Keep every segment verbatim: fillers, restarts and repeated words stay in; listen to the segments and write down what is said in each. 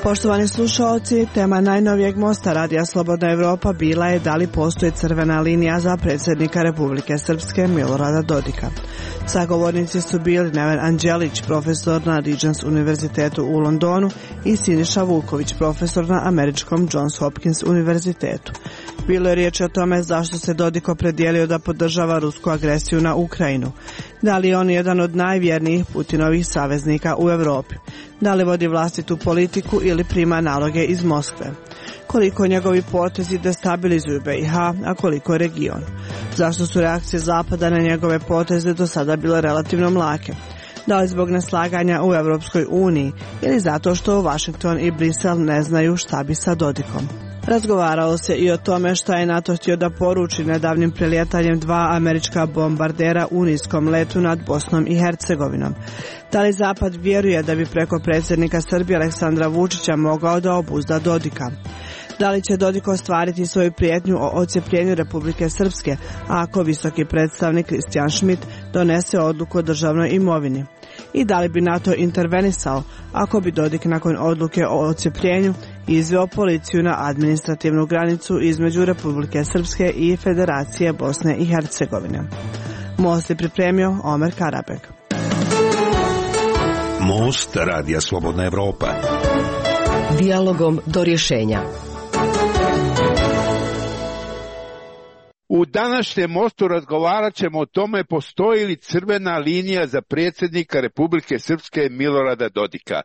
Poštovani slušalci, tema najnovijeg mosta Radija Slobodna Evropa bila je da li postoji crvena linija za predsjednika Republike Srpske Milorada Dodika. Sagovornici su bili Neven Anđelić, profesor na Regents univerzitetu u Londonu, i Siniša Vuković, profesor na američkom Johns Hopkins univerzitetu. Bilo je riječ o tome zašto se Dodik opredijelio da podržava rusku agresiju na Ukrajinu. Da li je on jedan od najvjernijih Putinovih saveznika u Europi? Da li vodi vlastitu politiku ili prima naloge iz Moskve? Koliko njegovi potezi destabilizuju B i H, a koliko region? Zašto su reakcije Zapada na njegove poteze do sada bile relativno mlake? Da li zbog neslaganja u Europskoj uniji ili zato što Washington i Brisel ne znaju šta bi sa Dodikom? Razgovaralo se i o tome šta je NATO htio da poruči nedavnim prelijetanjem dva američka bombardera u niskom letu nad Bosnom i Hercegovinom. Da li Zapad vjeruje da bi preko predsjednika Srbije Aleksandra Vučića mogao da obuzda Dodika? Da li će Dodik ostvariti svoju prijetnju o odcjepljenju Republike Srpske ako visoki predstavnik Christian Schmidt donese odluku o državnoj imovini? I da li bi NATO intervenisao ako bi Dodik nakon odluke o odcjepljenju izveo policiju na administrativnu granicu između Republike Srpske i Federacije Bosne i Hercegovine? Most je pripremio Omer Karabek. Most Radija Slobodna Evropa. Dijalogom do rješenja. U današnjem mostu razgovarat ćemo o tome postoji li crvena linija za predsjednika Republike Srpske Milorada Dodika.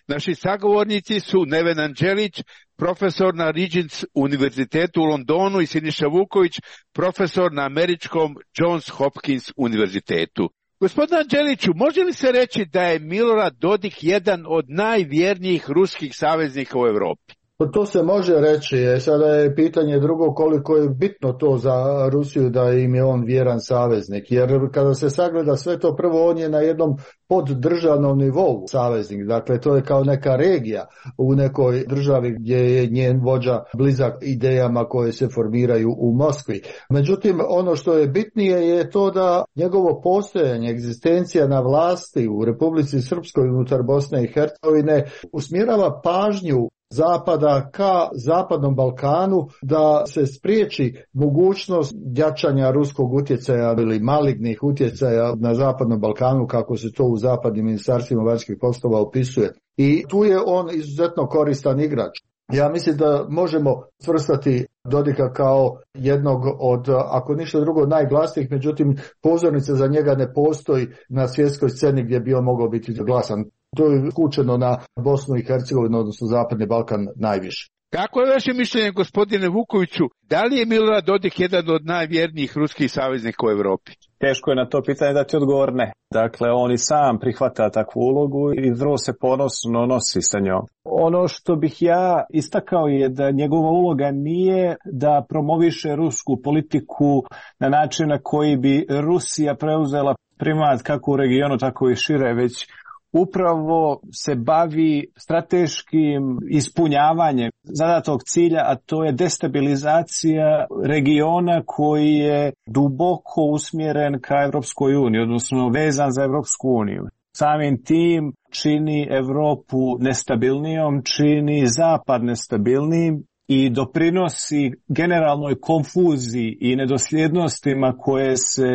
Naši sagovornici su Neven Anđelić, profesor na Regents univerzitetu u Londonu, i Siniša Vuković, profesor na američkom Johns Hopkins univerzitetu. Gospodine Anđeliću, može li se reći da je Milorad Dodik jedan od najvjernijih ruskih saveznika u Europi? To se može reći, sada je pitanje drugo koliko je bitno to za Rusiju da im je on vjeran saveznik, jer kada se sagleda sve to, prvo on je na jednom poddržavnom nivou saveznik, dakle to je kao neka regija u nekoj državi gdje je njen vođa blizak idejama koje se formiraju u Moskvi. Međutim, ono što je bitnije je to da njegovo postojanje, egzistencija na vlasti u Republici Srpskoj unutar Bosne i Hercegovine usmjerava pažnju Zapada ka Zapadnom Balkanu da se spriječi mogućnost jačanja ruskog utjecaja ili malignih utjecaja na Zapadnom Balkanu, kako se to u zapadnim ministarstvima vanjskih poslova opisuje. I tu je on izuzetno koristan igrač. Ja mislim da možemo svrstati Dodika kao jednog od, ako ništa drugo, najglasnijih, međutim pozornica za njega ne postoji na svjetskoj sceni gdje bi on mogao biti glasan. To je skučeno na Bosnu i Hercegovinu, odnosno Zapadni Balkan najviše. Kako je vaše mišljenje, gospodine Vukoviću, da li je Milorad Dodik jedan od najvjernijih ruskih saveznika u Europi? Teško je na to pitanje dati odgovor ne. Dakle, on i sam prihvata takvu ulogu i vrlo se ponosno nosi sa njom. Ono što bih ja istakao je da njegova uloga nije da promoviše rusku politiku na način na koji bi Rusija preuzela primat kako u regionu, tako i šire, već upravo se bavi strateškim ispunjavanjem zadatog cilja, a to je destabilizacija regiona koji je duboko usmjeren ka Evropskoj uniji, odnosno vezan za Evropsku uniju. Samim tim čini Europu nestabilnijom, čini Zapad nestabilnijim i doprinosi generalnoj konfuziji i nedosljednostima koje se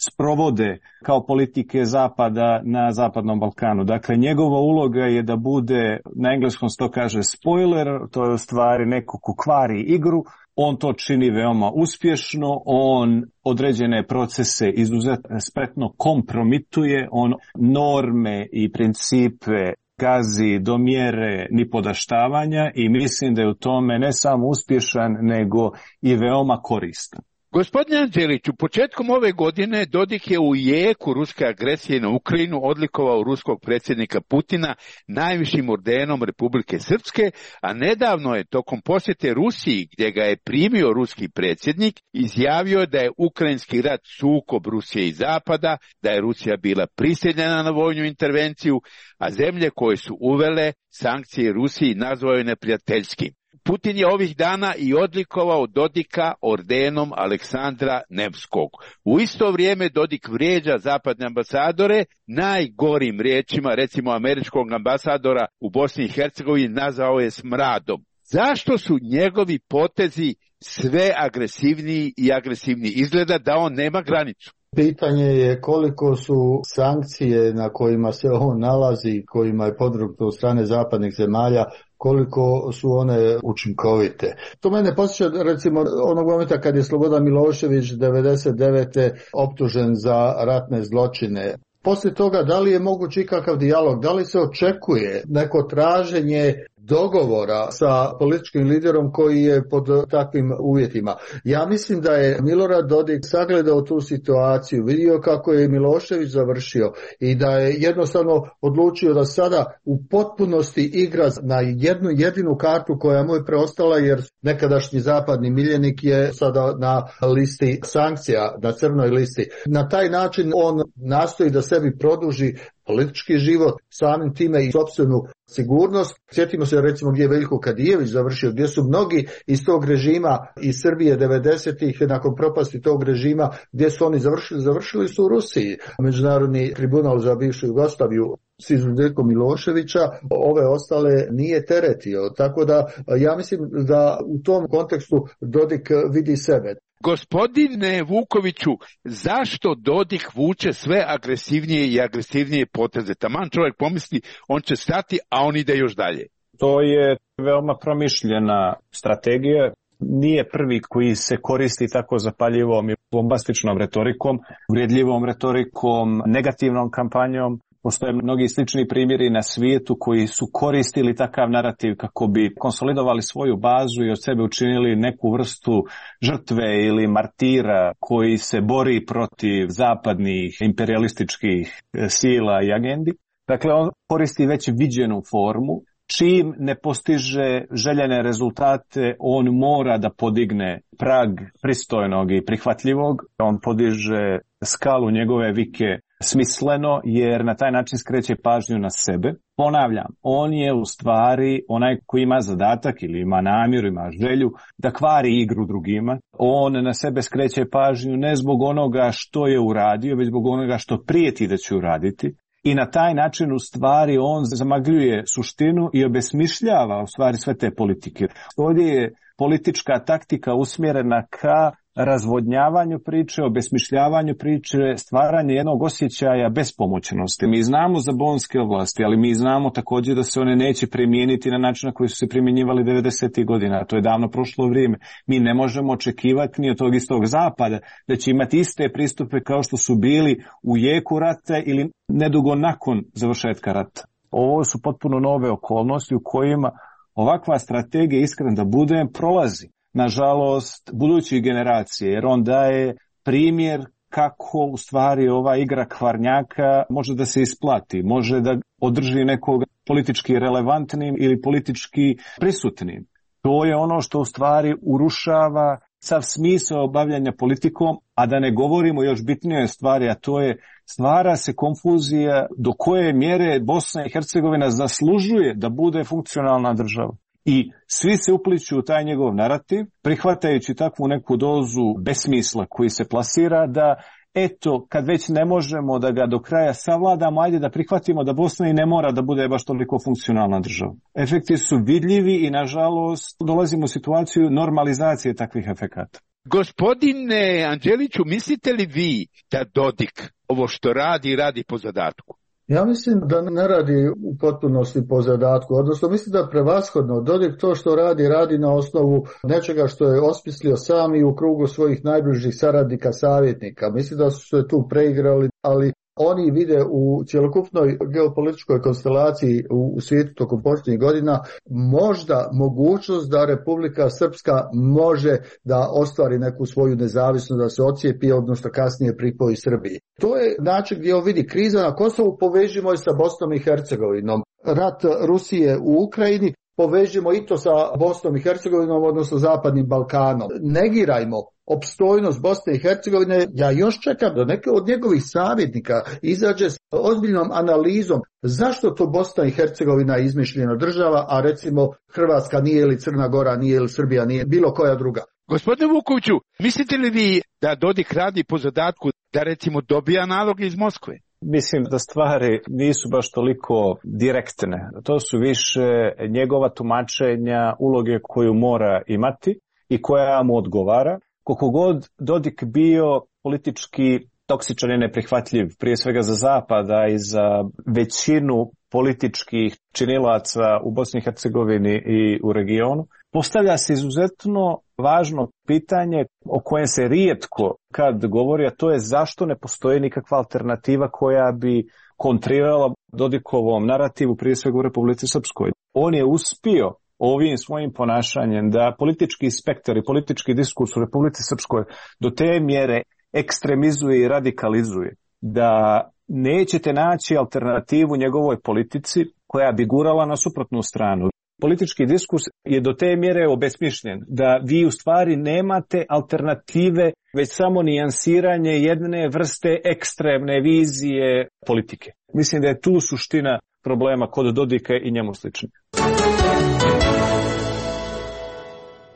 sprovode kao politike Zapada na Zapadnom Balkanu. Dakle, njegova uloga je da bude, na engleskom se to kaže spoiler, to je u stvari neko ko kvari igru. On to čini veoma uspješno, on određene procese izuzetno spretno kompromituje, on norme i principe gazi do mjere nipodaštavanja i mislim da je u tome ne samo uspješan, nego i veoma koristan. Gospodine Anđeliću, početkom ove godine Dodik je u jeku ruske agresije na Ukrajinu odlikovao ruskog predsjednika Putina najvišim ordenom Republike Srpske, a nedavno je tokom posjete Rusiji, gdje ga je primio ruski predsjednik, izjavio da je ukrajinski rat sukob Rusije i Zapada, da je Rusija bila prisiljena na vojnu intervenciju, a zemlje koje su uvele sankcije Rusiji nazvao je neprijateljskim. Putin je ovih dana i odlikovao Dodika ordenom Aleksandra Nevskog. U isto vrijeme Dodik vrijeđa zapadne ambasadore najgorim riječima, recimo američkog ambasadora u Bosni i Hercegovini nazvao je smradom. Zašto su njegovi potezi sve agresivniji i agresivniji? Izgleda da on nema granicu. Pitanje je koliko su sankcije na kojima se on nalazi, kojima je podvrgnuto od strane zapadnih zemalja, koliko su one učinkovite. To mene posjeća recimo onog momenta kad je Slobodan Milošević devedeset devete optužen za ratne zločine. Poslije toga, da li je moguć ikakav dijalog, da li se očekuje neko traženje dogovora sa političkim liderom koji je pod takvim uvjetima? Ja mislim da je Milorad Dodik sagledao tu situaciju, vidio kako je Milošević završio i da je jednostavno odlučio da sada u potpunosti igra na jednu jedinu kartu koja mu je preostala, jer nekadašnji zapadni miljenik je sada na listi sankcija, na crnoj listi. Na taj način on nastoji da sebi produži politički život, samim time i sopstvenu sigurnost. Sjetimo se recimo gdje je Veljko Kadijević završio, gdje su mnogi iz tog režima iz Srbije devedesetih nakon propasti tog režima, gdje su oni završili, završili su u Rusiji. Međunarodni tribunal za bivšu Jugoslaviju s izuzetkom Miloševića, ove ostale nije teretio. Tako da ja mislim da u tom kontekstu Dodik vidi sebe. Gospodine Vukoviću, zašto Dodik vuče sve agresivnije i agresivnije poteze? Taman čovjek pomisli, on će stati, a on ide još dalje. To je veoma promišljena strategija. Nije prvi koji se koristi tako zapaljivom i bombastičnom retorikom, uvredljivom retorikom, negativnom kampanjom. Postoje mnogi slični primjeri na svijetu koji su koristili takav narativ kako bi konsolidovali svoju bazu i od sebe učinili neku vrstu žrtve ili martira koji se bori protiv zapadnih imperialističkih sila i agendi. Dakle, on koristi već viđenu formu. Čim ne postiže željene rezultate, on mora da podigne prag pristojnog i prihvatljivog. On podiže skalu njegove vike smisleno, jer na taj način skreće pažnju na sebe. Ponavljam, on je u stvari onaj koji ima zadatak ili ima namjeru, ima želju da kvari igru drugima. On na sebe skreće pažnju ne zbog onoga što je uradio, već zbog onoga što prijeti da će uraditi. I na taj način u stvari on zamagljuje suštinu i obesmišljava u stvari sve te politike. Ovdje je politička taktika usmjerena ka razvodnjavanju priče, obesmišljavanju priče, stvaranje jednog osjećaja bespomoćnosti. Mi znamo za bonske oblasti, ali mi znamo također da se one neće primijeniti na način na koji su se primjenjivali devedesetih godina. To je davno prošlo vrijeme. Mi ne možemo očekivati ni od tog istog zapada da će imati iste pristupe kao što su bili u jeku rata ili nedugo nakon završetka rata. Ovo su potpuno nove okolnosti u kojima ovakva strategija, iskren da budem, prolazi. Nažalost, budućih generacije, jer on daje primjer kako u stvari ova igra kvarnjaka može da se isplati, može da održi nekog politički relevantnim ili politički prisutnim. To je ono što u stvari urušava sav smisao bavljanja politikom, a da ne govorimo još bitnije stvari, a to je stvara se konfuzija do koje mjere Bosna i Hercegovina zaslužuje da bude funkcionalna država. I svi se upliću u taj njegov narativ, prihvatajući takvu neku dozu besmisla koji se plasira da, eto, kad već ne možemo da ga do kraja savladamo, ajde da prihvatimo da Bosna i ne mora da bude baš toliko funkcionalna država. Efekti su vidljivi i, nažalost, dolazimo u situaciju normalizacije takvih efekata. Gospodine Anđeliću, mislite li vi da Dodik ovo što radi, radi po zadatku? Ja mislim da ne radi u potpunosti po zadatku, odnosno mislim da prevashodno Dodik to što radi, radi na osnovu nečega što je osmislio sam i u krugu svojih najbližih saradnika, savjetnika. Mislim da su se tu preigrali, ali oni vide u cjelokupnoj geopolitičkoj konstelaciji u svijetu tokom posljednjih godina možda mogućnost da Republika Srpska može da ostvari neku svoju nezavisnost, da se ocijepi, odnosno kasnije pripoji Srbiji. To je način gdje on vidi kriza na Kosovu, povežimo je sa Bosnom i Hercegovinom. Rat Rusije u Ukrajini, povežimo i to sa Bosnom i Hercegovinom, odnosno Zapadnim Balkanom. Negirajmo opstojnost Bosne i Hercegovine. Ja još čekam da neke od njegovih savjetnika izađe s ozbiljnom analizom zašto to Bosna i Hercegovina je izmišljena država, a recimo Hrvatska nije ili Crna Gora nije ili Srbija nije bilo koja druga. Gospodine Vukoviću, mislite li vi da Dodik radi po zadatku da recimo dobija nalog iz Moskve? Mislim da stvari nisu baš toliko direktne. To su više njegova tumačenja uloge koju mora imati i koja mu odgovara. Koliko god Dodik bio politički toksičan i neprihvatljiv, prije svega za Zapada i za većinu političkih činilaca u Bosni i Hercegovini i u regionu, postavlja se izuzetno važno pitanje o kojem se rijetko kad govori, a to je zašto ne postoji nikakva alternativa koja bi kontrirala Dodikovom narativu, prije svega u Republici Srpskoj. On je uspio ovim svojim ponašanjem da politički spektar i politički diskurs u Republici Srpskoj do te mjere ekstremizuje i radikalizuje, da nećete naći alternativu njegovoj politici koja bi gurala na suprotnu stranu. Politički diskurs je do te mjere obesmišljen da vi u stvari nemate alternative, već samo nijansiranje jedne vrste ekstremne vizije politike. Mislim da je tu suština problema kod Dodika i njemu sličnih.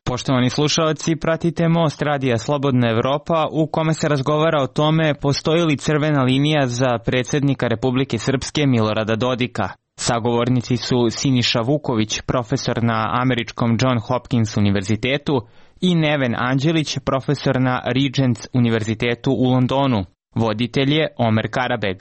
Poštovani slušalci, pratite Most Radija Slobodna Evropa u kome se razgovara o tome postoji li crvena linija za predsjednika Republike Srpske Milorada Dodika. Sagovornici su Siniša Vuković, profesor na američkom John Hopkins univerzitetu, i Neven Anđelić, profesor na Regents univerzitetu u Londonu. Voditelj je Omer Karabeg.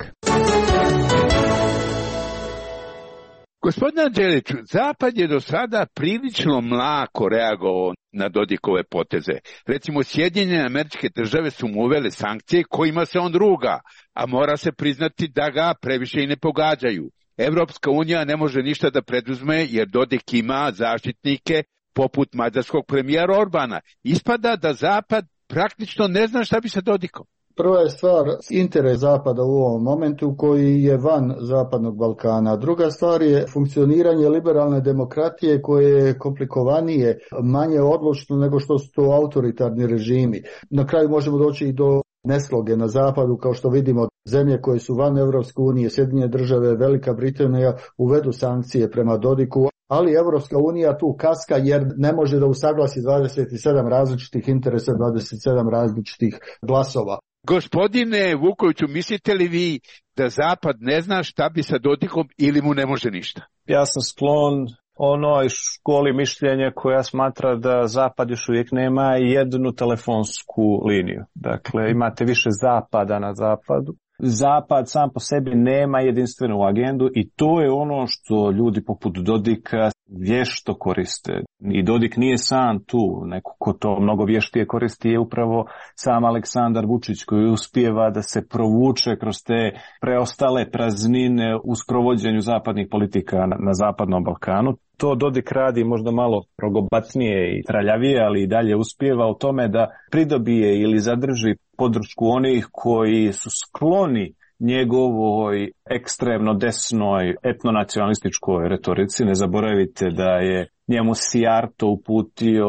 Gospodine Anđeliću, Zapad je do sada prilično mlako reagovao na Dodikove poteze. Recimo, Sjedinjene Američke Države su mu uvele sankcije kojima se on ruga, a mora se priznati da ga previše i ne pogađaju. Evropska unija ne može ništa da preduzme jer Dodik ima zaštitnike poput mađarskog premijera Orbana. Ispada da Zapad praktično ne zna šta bi sa Dodikom. Prva je stvar interes Zapada u ovom momentu koji je van Zapadnog Balkana. Druga stvar je funkcioniranje liberalne demokratije koje je komplikovanije, manje odlučno nego što su to autoritarni režimi. Na kraju možemo doći i do nesloge na Zapadu, kao što vidimo zemlje koje su van Evropske unije, Sjedinjene Države, Velika Britanija uvedu sankcije prema Dodiku, ali Evropska unija tu kaska jer ne može da usaglasi dvadeset sedam različitih interesa, dvadeset sedam različitih glasova. Gospodine Vukoviću, mislite li vi da Zapad ne zna šta bi sa Dodikom ili mu ne može ništa? Ja sam sklon onoj školi mišljenja koja smatra da Zapad još uvijek nema jednu telefonsku liniju. Dakle, imate više Zapada na Zapadu. Zapad sam po sebi nema jedinstvenu agendu i to je ono što ljudi poput Dodika vješto koriste. I Dodik nije sam tu, neko ko to mnogo vještije koristi je upravo sam Aleksandar Vučić koji uspijeva da se provuče kroz te preostale praznine u sprovođenju zapadnih politika na, na Zapadnom Balkanu. To Dodik radi možda malo rogobatnije i traljavije, ali i dalje uspijeva u tome da pridobije ili zadrži podršku onih koji su skloni njegovoj ekstremno desnoj etnonacionalističkoj retorici. Ne zaboravite da je njemu Sijarto uputio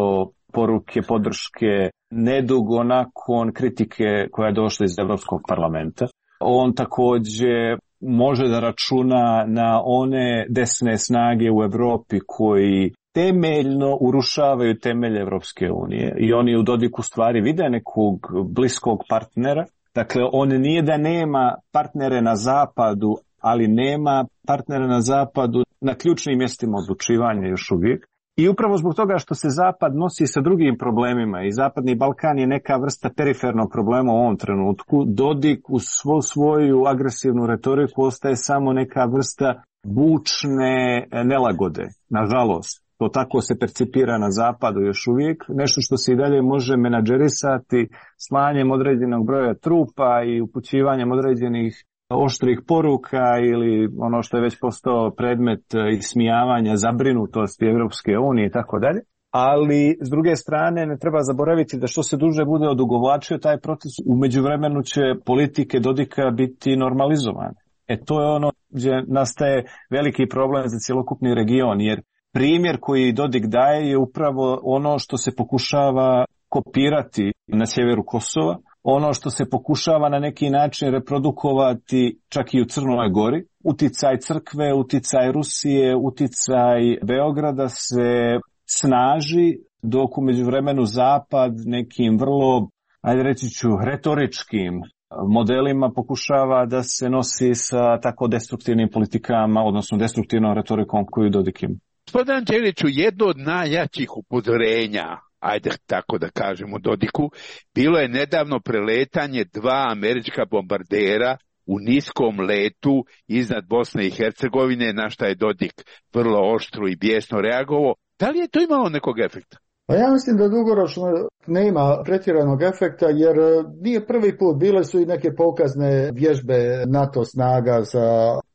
poruke podrške nedugo nakon kritike koja je došla iz Evropskog parlamenta. On također može da računa na one desne snage u Evropi koji temeljno urušavaju temelje Evropske unije i oni u Dodiku stvari vide nekog bliskog partnera. Dakle, on nije da nema partnere na zapadu, ali nema partnere na zapadu na ključnim mjestima odlučivanja još uvijek. I upravo zbog toga što se Zapad nosi sa drugim problemima i Zapadni Balkan je neka vrsta perifernog problema u ovom trenutku, Dodik u svu svoju agresivnu retoriku ostaje samo neka vrsta bučne nelagode, nažalost. To tako se percipira na Zapadu još uvijek, nešto što se i dalje može menadžerisati slanjem određenog broja trupa i upućivanjem određenih oštrih poruka ili ono što je već postao predmet ismijavanja, zabrinutosti Evropske unije i tako dalje. Ali s druge strane ne treba zaboraviti da što se duže bude odugovlačio taj proces, u međuvremenu će politike Dodika biti normalizovane. E to je ono gdje nastaje veliki problem za cjelokupni region, jer primjer koji Dodik daje je upravo ono što se pokušava kopirati na sjeveru Kosova, ono što se pokušava na neki način reprodukovati čak i u Crnoj Gori. Uticaj crkve, uticaj Rusije, uticaj Beograda se snaži, dok u međuvremenu Zapad nekim vrlo, ajde reći ću, retoričkim modelima pokušava da se nosi sa tako destruktivnim politikama, odnosno destruktivnom retorikom koju Dodik ima. Gospodin Anđeliću, jedno od najjačih upozorenja, ajde tako da kažemo Dodiku, bilo je nedavno preletanje dva američka bombardera u niskom letu iznad Bosne i Hercegovine, na šta je Dodik vrlo oštro i bijesno reagovao. Da li je to imalo nekog efekta? Pa ja mislim da dugoročno nema pretjeranog efekta, jer nije prvi put, bile su i neke pokazne vježbe NATO snaga sa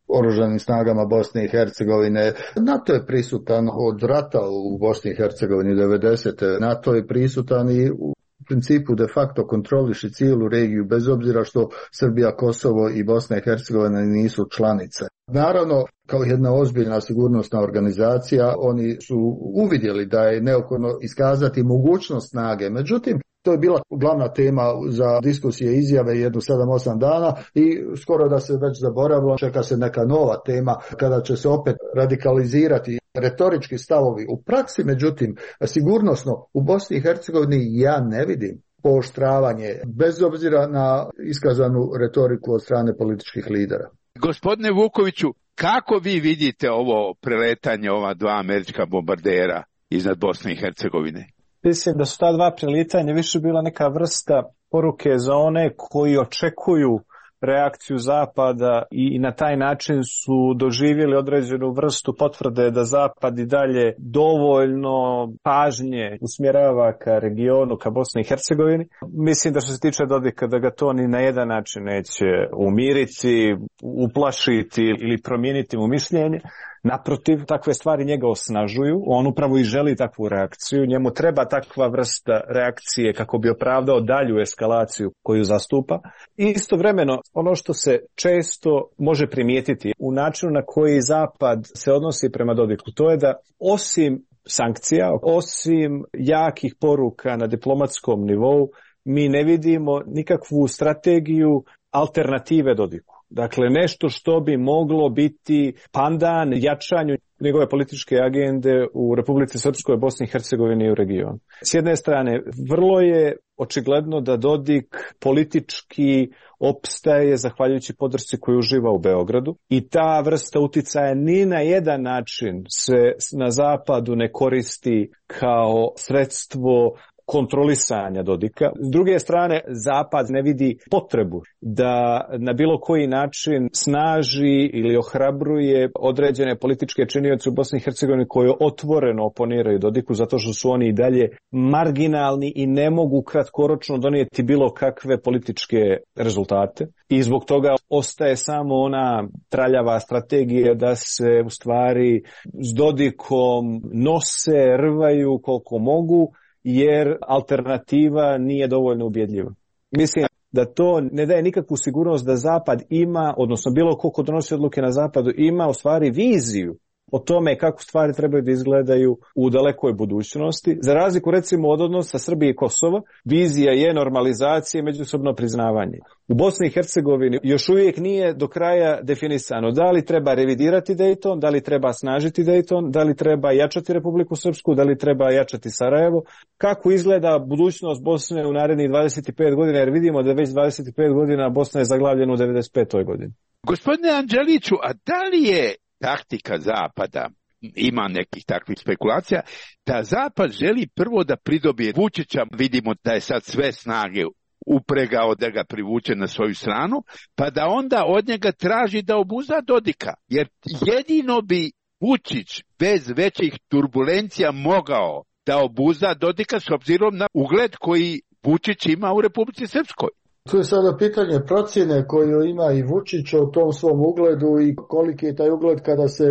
oružanim snagama Bosne i Hercegovine. NATO je prisutan od rata u Bosni i Hercegovini devedesete. NATO je prisutan i u principu de facto kontroliše cijelu regiju, bez obzira što Srbija, Kosovo i Bosna i Hercegovina nisu članice. Naravno, kao jedna ozbiljna sigurnosna organizacija, oni su uvidjeli da je neophodno iskazati mogućnost snage. Međutim, to je bila glavna tema za diskusije i izjave jednu sedam osam dana i skoro da se već zaboravilo, čeka se neka nova tema kada će se opet radikalizirati retorički stavovi. U praksi, međutim, sigurnosno u Bosni i Hercegovini ja ne vidim pooštravanje, bez obzira na iskazanu retoriku od strane političkih lidera. Gospodine Vukoviću, kako vi vidite ovo preletanje ova dva američka bombardera iznad Bosne i Hercegovine? Mislim da su ta dva prelitanja više bila neka vrsta poruke za one koji očekuju reakciju Zapada i na taj način su doživjeli određenu vrstu potvrde da Zapad i dalje dovoljno pažnje usmjerava ka regionu, ka Bosni i Hercegovini. Mislim da što se tiče Dodika da ga to ni na jedan način neće umiriti, uplašiti ili promijeniti mu mišljenje. Naprotiv, takve stvari njega osnažuju, on upravo i želi takvu reakciju, njemu treba takva vrsta reakcije kako bi opravdao dalju eskalaciju koju zastupa. I istovremeno, ono što se često može primijetiti u načinu na koji Zapad se odnosi prema Dodiku, to je da osim sankcija, osim jakih poruka na diplomatskom nivou, mi ne vidimo nikakvu strategiju alternative Dodiku. Dakle, nešto što bi moglo biti pandan jačanju njegove političke agende u Republici Srpskoj, Bosni i Hercegovini i u regionu. S jedne strane, vrlo je očigledno da Dodik politički opstaje zahvaljujući podršci koju uživa u Beogradu i ta vrsta uticaja ni na jedan način se na Zapadu ne koristi kao sredstvo kontrolisanja Dodika. S druge strane, Zapad ne vidi potrebu da na bilo koji način snaži ili ohrabruje određene političke činioce u Bosni i Hercegovini koje otvoreno oponiraju Dodiku zato što su oni i dalje marginalni i ne mogu kratkoročno donijeti bilo kakve političke rezultate. I zbog toga ostaje samo ona traljava strategija da se u stvari s Dodikom nose, rvaju koliko mogu, jer alternativa nije dovoljno ubjedljiva. Mislim da to ne daje nikakvu sigurnost da Zapad ima, odnosno bilo ko ko donosi odluke na Zapadu, ima u stvari viziju o tome kako stvari trebaju da izgledaju u dalekoj budućnosti. Za razliku recimo od odnosa Srbije i Kosova, vizija je normalizacija i međusobno priznavanje. U Bosni i Hercegovini još uvijek nije do kraja definisano da li treba revidirati Dejton, da li treba snažiti Dejton, da li treba jačati Republiku Srpsku, da li treba jačati Sarajevo. Kako izgleda budućnost Bosne u narednih dvadeset pet godina, jer vidimo da već dvadeset pet godina Bosna je zaglavljena u devedeset petoj godini. Gospodine Anđeliću, a da li je taktika Zapada, ima nekih takvih spekulacija, da Zapad želi prvo da pridobije Vučića, vidimo da je sad sve snage upregao da ga privuče na svoju stranu, pa da onda od njega traži da obuzda Dodika, jer jedino bi Vučić bez većih turbulencija mogao da obuzda Dodika s obzirom na ugled koji Vučić ima u Republici Srpskoj. Tu je sada pitanje procjene koju ima i Vučić o tom svom ugledu i koliki je taj ugled kada se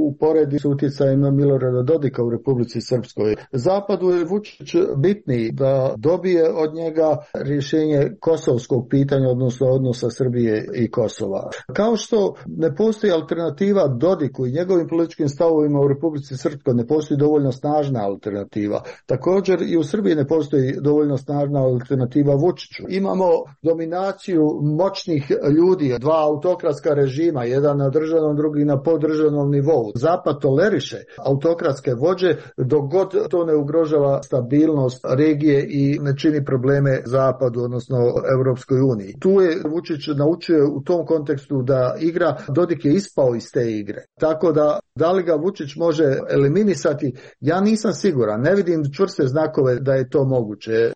uporedi s utjecajima Milorada Dodika u Republici Srpskoj. Zapadu je Vučić bitniji da dobije od njega rješenje kosovskog pitanja, odnosno odnosa Srbije i Kosova. Kao što ne postoji alternativa Dodiku i njegovim političkim stavovima u Republici Srpskoj, ne postoji dovoljno snažna alternativa. Također i u Srbiji ne postoji dovoljno snažna alternativa Vučiću. Imamo dominaciju moćnih ljudi, dva autokratska režima, jedan na državnom, drugi na poddržavnom nivou. Zapad toleriše autokratske vođe dok god to ne ugrožava stabilnost regije i ne čini probleme Zapadu, odnosno Europskoj uniji. Tu je Vučić naučio u tom kontekstu da igra, Dodik je ispao iz te igre. Tako da, da li ga Vučić može eliminisati, ja nisam siguran, ne vidim čvrste znakove da je to moguće.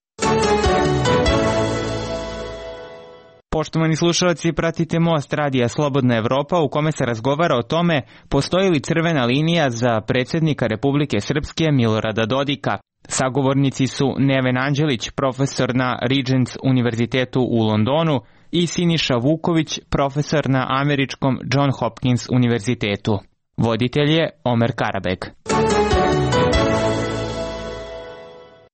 Poštovani slušalci, pratite Most radija Slobodna Evropa u kome se razgovara o tome postoji li crvena linija za predsjednika Republike Srpske Milorada Dodika. Sagovornici su Neven Anđelić, profesor na Regents univerzitetu u Londonu, i Siniša Vuković, profesor na američkom John Hopkins univerzitetu. Voditelj je Omer Karabeg.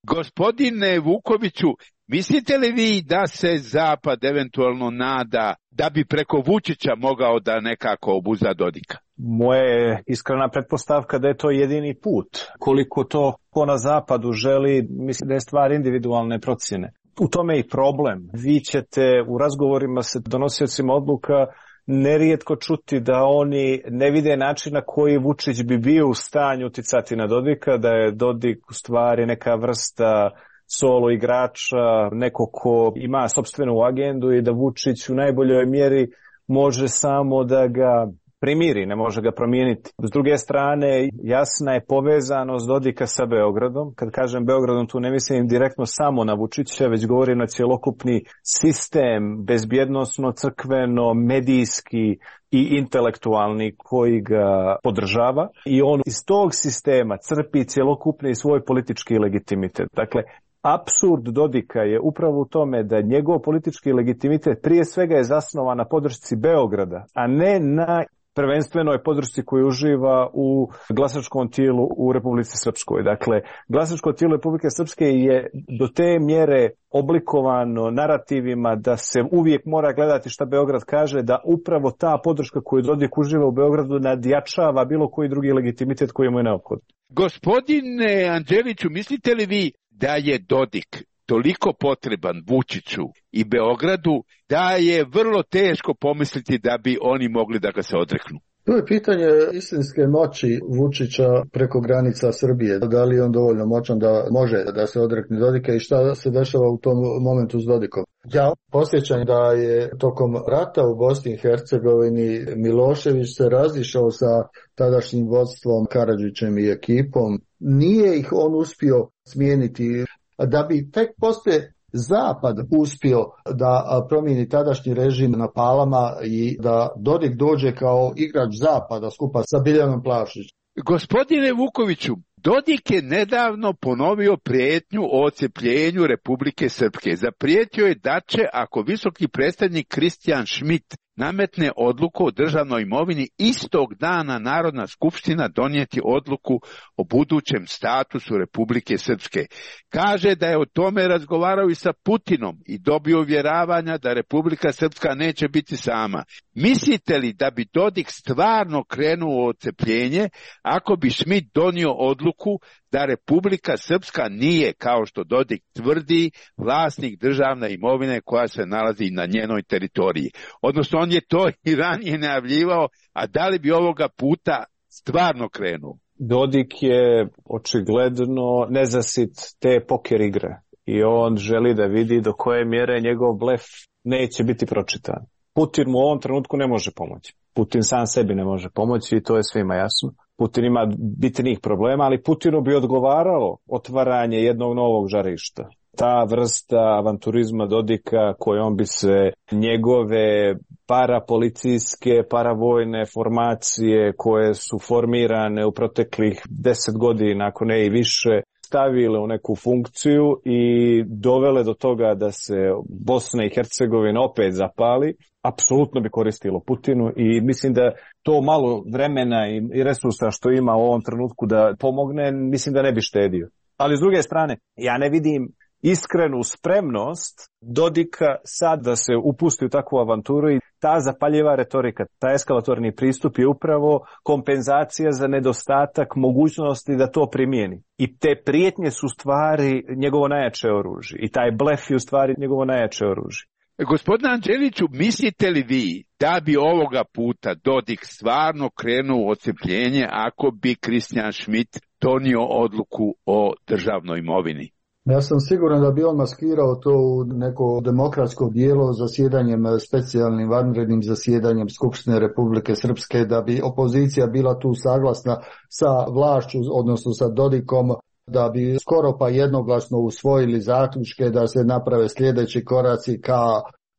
Gospodine Vukoviću, mislite li vi da se Zapad eventualno nada da bi preko Vučića mogao da nekako obuza Dodika? Moja je iskrena pretpostavka da je to jedini put. Koliko to ko na Zapadu želi, mislim da je stvar individualne procjene. U tome je i problem. Vi ćete u razgovorima sa donosiocima odluka nerijetko čuti da oni ne vide način na koji Vučić bi bio u stanju uticati na Dodika, da je Dodik u stvari neka vrsta solo igrača, neko ko ima sopstvenu agendu i da Vučić u najboljoj mjeri može samo da ga primiri, ne može ga promijeniti. S druge strane, jasna je povezanost Dodika sa Beogradom. Kad kažem Beogradom, tu ne mislim direktno samo na Vučića, već govorim na cjelokupni sistem, bezbjednosno, crkveno, medijski i intelektualni koji ga podržava. I on iz tog sistema crpi cjelokupni svoj politički legitimitet. Dakle, apsurd Dodika je upravo u tome da njegov politički legitimitet prije svega je zasnovan na podršci Beograda, a ne na prvenstvenoj podršci koju uživa u glasačkom tijelu u Republici Srpskoj. Dakle, glasačko tijelo Republike Srpske je do te mjere oblikovano narativima da se uvijek mora gledati šta Beograd kaže, da upravo ta podrška koju Dodik uživa u Beogradu nadjačava bilo koji drugi legitimitet koji mu je neophodan. Gospodine Anđeliću, mislite li vi da je Dodik toliko potreban Vučiću i Beogradu da je vrlo teško pomisliti da bi oni mogli da ga se odreknu? To je pitanje istinske moći Vučića preko granica Srbije. Da li je on dovoljno moćan da može da se odrekne Dodika i šta se dešava u tom momentu s Dodikom? Ja posjećam da je tokom rata u Bosni i Hercegovini Milošević se razišao sa tadašnjim vodstvom Karadžićem i ekipom. Nije ih on uspio smijeniti. Da bi tek poslije Zapad uspio da promijeni tadašnji režim na Palama i da Dodik dođe kao igrač Zapada skupa sa Biljanom Plavšić. Gospodine Vukoviću, Dodik je nedavno ponovio prijetnju o odcepljenju Republike Srpske. Zaprijetio je da će, ako visoki predstavnik Kristijan Schmidt nametne odluku o državnoj imovini, istog dana Narodna skupština donijeti odluku o budućem statusu Republike Srpske. Kaže da je o tome razgovarao i sa Putinom i dobio uvjeravanja da Republika Srpska neće biti sama. Mislite li da bi Dodik stvarno krenuo u odcepljenje ako bi Schmidt donio odluku da Republika Srpska nije, kao što Dodik tvrdi, vlasnik državne imovine koja se nalazi na njenoj teritoriji? Odnosno, on je to i ranije najavljivao, a da li bi ovoga puta stvarno krenuo? Dodik je očigledno nezasit te poker igre i on želi da vidi do koje mjere njegov blef neće biti pročitan. Putin mu u ovom trenutku ne može pomoći. Putin sam sebi ne može pomoći i to je svima jasno. Putin ima bitnih problema, ali Putinu bi odgovaralo otvaranje jednog novog žarišta. Ta vrsta avanturizma Dodika kojom bi se njegove parapolicijske, paravojne formacije koje su formirane u proteklih deset godina, ako ne i više, stavile u neku funkciju i dovele do toga da se Bosna i Hercegovina opet zapali, apsolutno bi koristilo Putinu i mislim da to malo vremena i resursa što ima u ovom trenutku da pomogne, mislim da ne bi štedio. Ali s druge strane, ja ne vidim iskrenu spremnost Dodika sad da se upusti u takvu avanturu i ta zapaljiva retorika, ta eskalatorni pristup je upravo kompenzacija za nedostatak mogućnosti da to primijeni. I te prijetnje su stvari njegovo najjače oružje i taj blef je u stvari njegovo najjače oružje. Gospodine Anđeliću, mislite li vi da bi ovoga puta Dodik stvarno krenuo u odcepljenje ako bi Christian Schmidt donio odluku o državnoj imovini? Ja sam siguran da bi on maskirao to u neko demokratsko dijelo zasjedanjem, specijalnim vanrednim zasjedanjem Skupštine Republike Srpske, da bi opozicija bila tu saglasna sa vlašću, odnosno sa Dodikom, da bi skoro pa jednoglasno usvojili zaključke da se naprave sljedeći koraci ka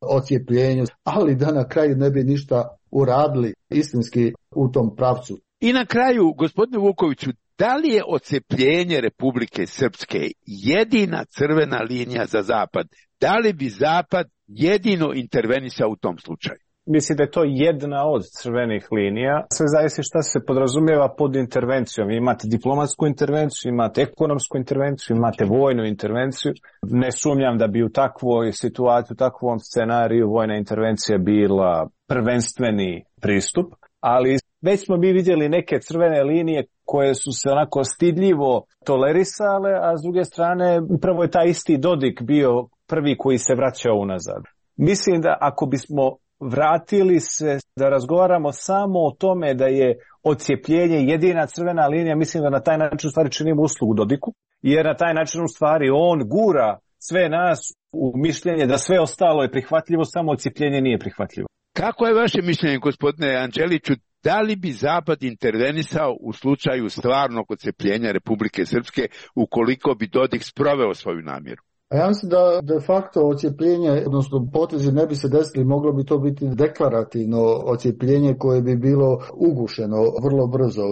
odcijepljenju, ali da na kraju ne bi ništa uradili istinski u tom pravcu. I na kraju, gospodine Vukoviću, da li je odcepljenje Republike Srpske jedina crvena linija za Zapad? Da li bi Zapad jedino intervenisao u tom slučaju? Mislim da je to jedna od crvenih linija. Sve zavisi šta se podrazumijeva pod intervencijom. Imate diplomatsku intervenciju, imate ekonomsku intervenciju, imate vojnu intervenciju. Ne sumnjam da bi u takvoj situaciji, u takvom scenariju vojna intervencija bila prvenstveni pristup, ali već smo mi vidjeli neke crvene linije koje su se onako stidljivo tolerisale, a s druge strane upravo je taj isti Dodik bio prvi koji se vraćao unazad. Mislim da ako bismo vratili se da razgovaramo samo o tome da je odcijepljenje jedina crvena linija, mislim da na taj način u stvari činimo uslugu Dodiku, jer na taj način u stvari on gura sve nas u mišljenje da sve ostalo je prihvatljivo, samo odcijepljenje nije prihvatljivo. Kako je vaše mišljenje, gospodine Anđeliću, da li bi Zapad intervenisao u slučaju stvarnog odcepljenja Republike Srpske ukoliko bi Dodik sproveo svoju namjeru? A ja mislim da de facto odcijepljenje, odnosno potezi ne bi se desili, moglo bi to biti deklarativno odcijepljenje koje bi bilo ugušeno vrlo brzo.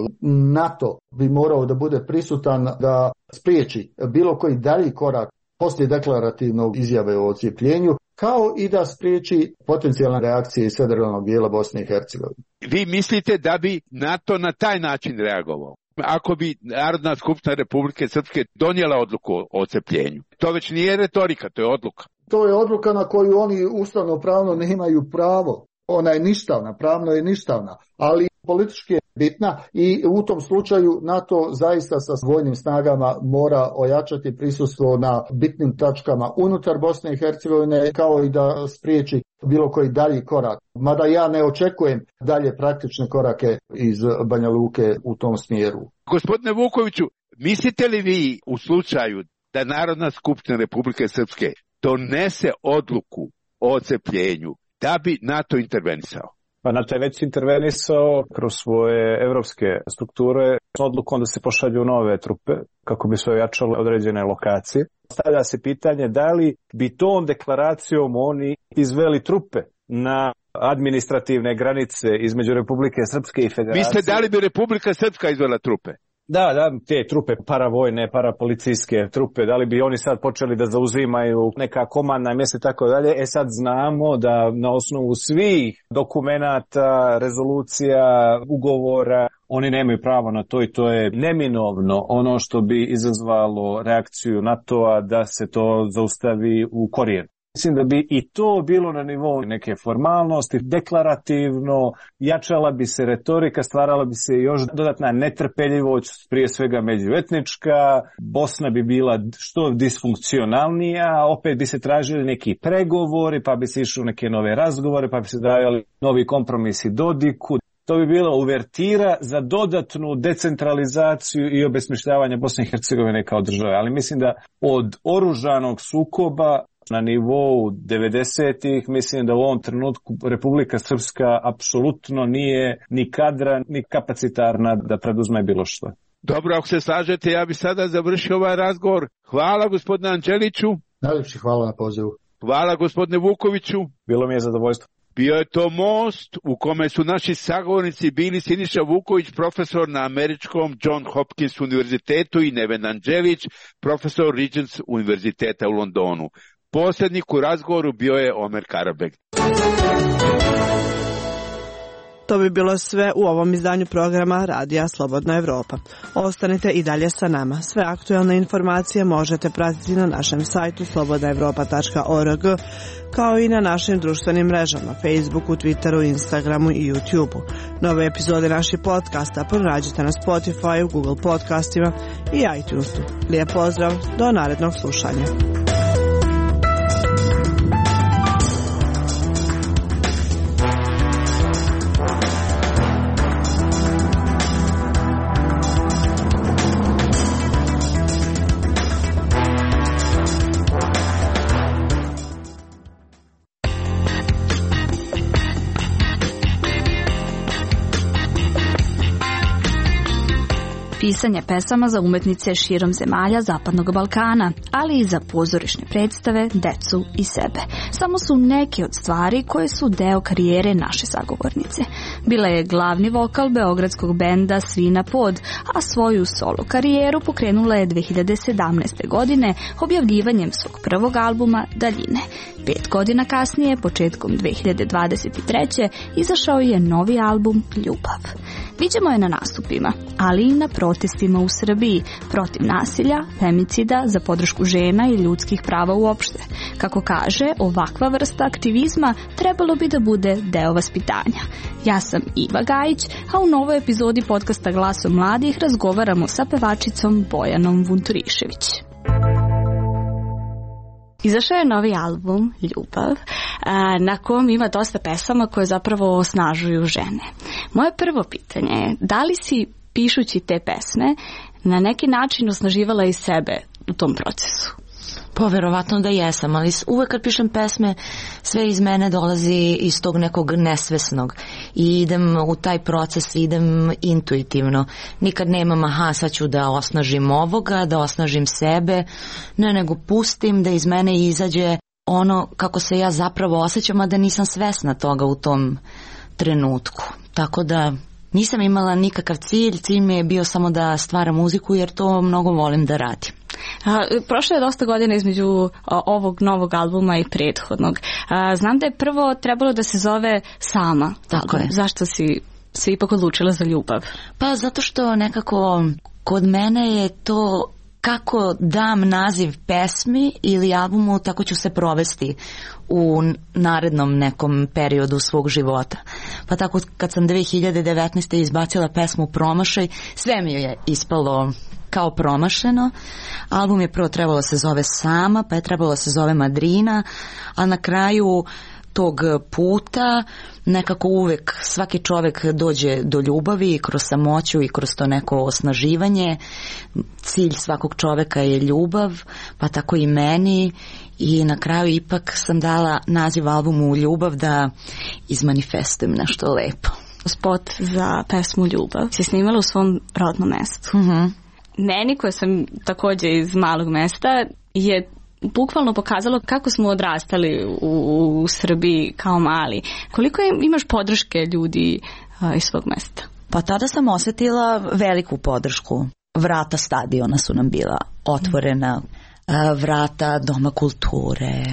NATO bi morao da bude prisutan da spriječi bilo koji dalji korak poslije deklarativnog izjave o odcijepljenju, kao i da spriječi potencijalne reakcije iz federalnog dijela Bosne i Hercegovine. Vi mislite da bi NATO na taj način reagovao? Ako bi Narodna skupština Republike Srpske donijela odluku o odcepljenju. To već nije retorika, to je odluka. To je odluka na koju oni ustavno pravno ne imaju pravo. Ona je ništavna, pravno je ništavna, ali politički je bitna i u tom slučaju NATO zaista sa vojnim snagama mora ojačati prisustvo na bitnim tačkama unutar Bosne i Hercegovine, kao i da spriječi bilo koji dalji korak. Mada ja ne očekujem dalje praktične korake iz Banja Luke u tom smjeru. Gospodine Vukoviću, mislite li vi u slučaju da Narodna skupština Republike Srpske donese odluku o odcepljenju, da bi NATO intervenisao? Pa NATO je već intervenisao kroz svoje evropske strukture s odlukom da se pošalju nove trupe kako bi se ojačale određene lokacije. Stavlja se pitanje da li bi tom deklaracijom oni izveli trupe na administrativne granice između Republike Srpske i Federacije. Mislite da li bi Republika Srpska izvela trupe? Da, da, te trupe paravojne, parapolicijske trupe, da li bi oni sad počeli da zauzimaju neka komandna mjesta i tako dalje. E sad znamo da na osnovu svih dokumenata, rezolucija, ugovora, oni nemaju pravo na to i to je neminovno ono što bi izazvalo reakciju NATO-a da se to zaustavi u korijenu. Mislim da bi i to bilo na nivou neke formalnosti, deklarativno, jačala bi se retorika, stvarala bi se još dodatna netrpeljivost, prije svega međuetnička, Bosna bi bila što disfunkcionalnija, opet bi se tražili neki pregovori, pa bi se išli u neke nove razgovore, pa bi se dajali novi kompromisi Dodiku. To bi bila uvertira za dodatnu decentralizaciju i obesmišljavanje Bosne i Hercegovine kao države. Ali mislim da od oružanog sukoba na nivou devedesetih, mislim da u ovom trenutku Republika Srpska apsolutno nije ni kadra, ni kapacitarna da preduzme bilo što. Dobro, ako se slažete, ja bih sada završio ovaj razgovor. Hvala gospodine Anđeliću. Najljepši hvala na pozivu. Hvala gospodine Vukoviću. Bilo mi je zadovoljstvo. Bio je to most u kome su naši sagovornici bili Siniša Vuković, profesor na američkom John Hopkins univerzitetu, i Neven Anđelić, profesor Regents univerziteta u Londonu. Posrednik u razgovoru bio je Omer Karabek. To bi bilo sve u ovom izdanju programa Radija Slobodna Evropa. Ostanite i dalje sa nama. Sve aktuelne informacije možete pratiti na našem sajtu slobodna evropa tačka org, kao i na našim društvenim mrežama, Facebooku, Twitteru, Instagramu i YouTubeu. Nove epizode naših podcasta pronađite na Spotify, Google podcastima i iTunesu. Lijep pozdrav, do narednog slušanja. Pisanje pesama za umetnice širom zemalja Zapadnog Balkana, ali i za pozorišne predstave, decu i sebe. Samo su neke od stvari koje su deo karijere naše sagovornice. Bila je glavni vokal beogradskog benda Svina Pod, a svoju solo karijeru pokrenula je dve hiljade sedamnaeste. godine objavljivanjem svog prvog albuma Daljine. Pet godina kasnije, početkom dve hiljade dvadeset treće. izašao je novi album Ljubav. Viđemo je na nastupima, ali i na protestima u Srbiji protiv nasilja, femicida, za podršku žena i ljudskih prava uopšte. Kako kaže, ovakva vrsta aktivizma trebalo bi da bude deo vaspitanja. Ja sam Iva Gajić, a u novoj epizodi podcasta Glasom mladih razgovaramo sa pevačicom Bojanom Vunturišević. Izašao je novi album Ljubav, na kom ima dosta pesama koje zapravo osnažuju žene. Moje prvo pitanje je, da li si, pišući te pesme, na neki način osnaživala i sebe u tom procesu? Pa verovatno da jesam, ali uvek kad pišem pesme sve iz mene dolazi iz tog nekog nesvesnog i idem u taj proces, idem intuitivno. Nikad nemam aha, sad ću da osnažim ovoga, da osnažim sebe, ne, nego pustim da iz mene izađe ono kako se ja zapravo osjećam, a da nisam svesna toga u tom trenutku. Tako da nisam imala nikakav cilj, cilj mi je bio samo da stvaram muziku jer to mnogo volim da radim. A, prošlo je dosta godina između a, ovog novog albuma i prethodnog. A, znam da je prvo trebalo da se zove Sama. Tako je. Zašto si se ipak odlučila za Ljubav? Pa zato što nekako kod mene je to kako dam naziv pesmi ili albumu, tako ću se provesti u narednom nekom periodu svog života. Pa tako kad sam dve hiljade devetnaeste. izbacila pesmu Promašaj, sve mi je ispalo kao promašeno. Album je prvo trebalo da se zove Sama, pa je trebalo da se zove Madrina, a na kraju tog puta nekako uvek svaki čovek dođe do ljubavi kroz samoću i kroz to neko osnaživanje. Cilj svakog čoveka je ljubav, pa tako i meni, i na kraju ipak sam dala naziv albumu Ljubav da izmanifestujem nešto lepo. Spot za pesmu Ljubav si snimala u svom rodnom mestu. Mhm. Meni, koja sam takođe iz malog mesta, je bukvalno pokazalo kako smo odrastali u, u Srbiji kao mali. Koliko je, imaš podrške ljudi a, iz svog mesta? Pa tada sam osjetila veliku podršku. Vrata stadiona su nam bila otvorena, a, vrata Doma kulture,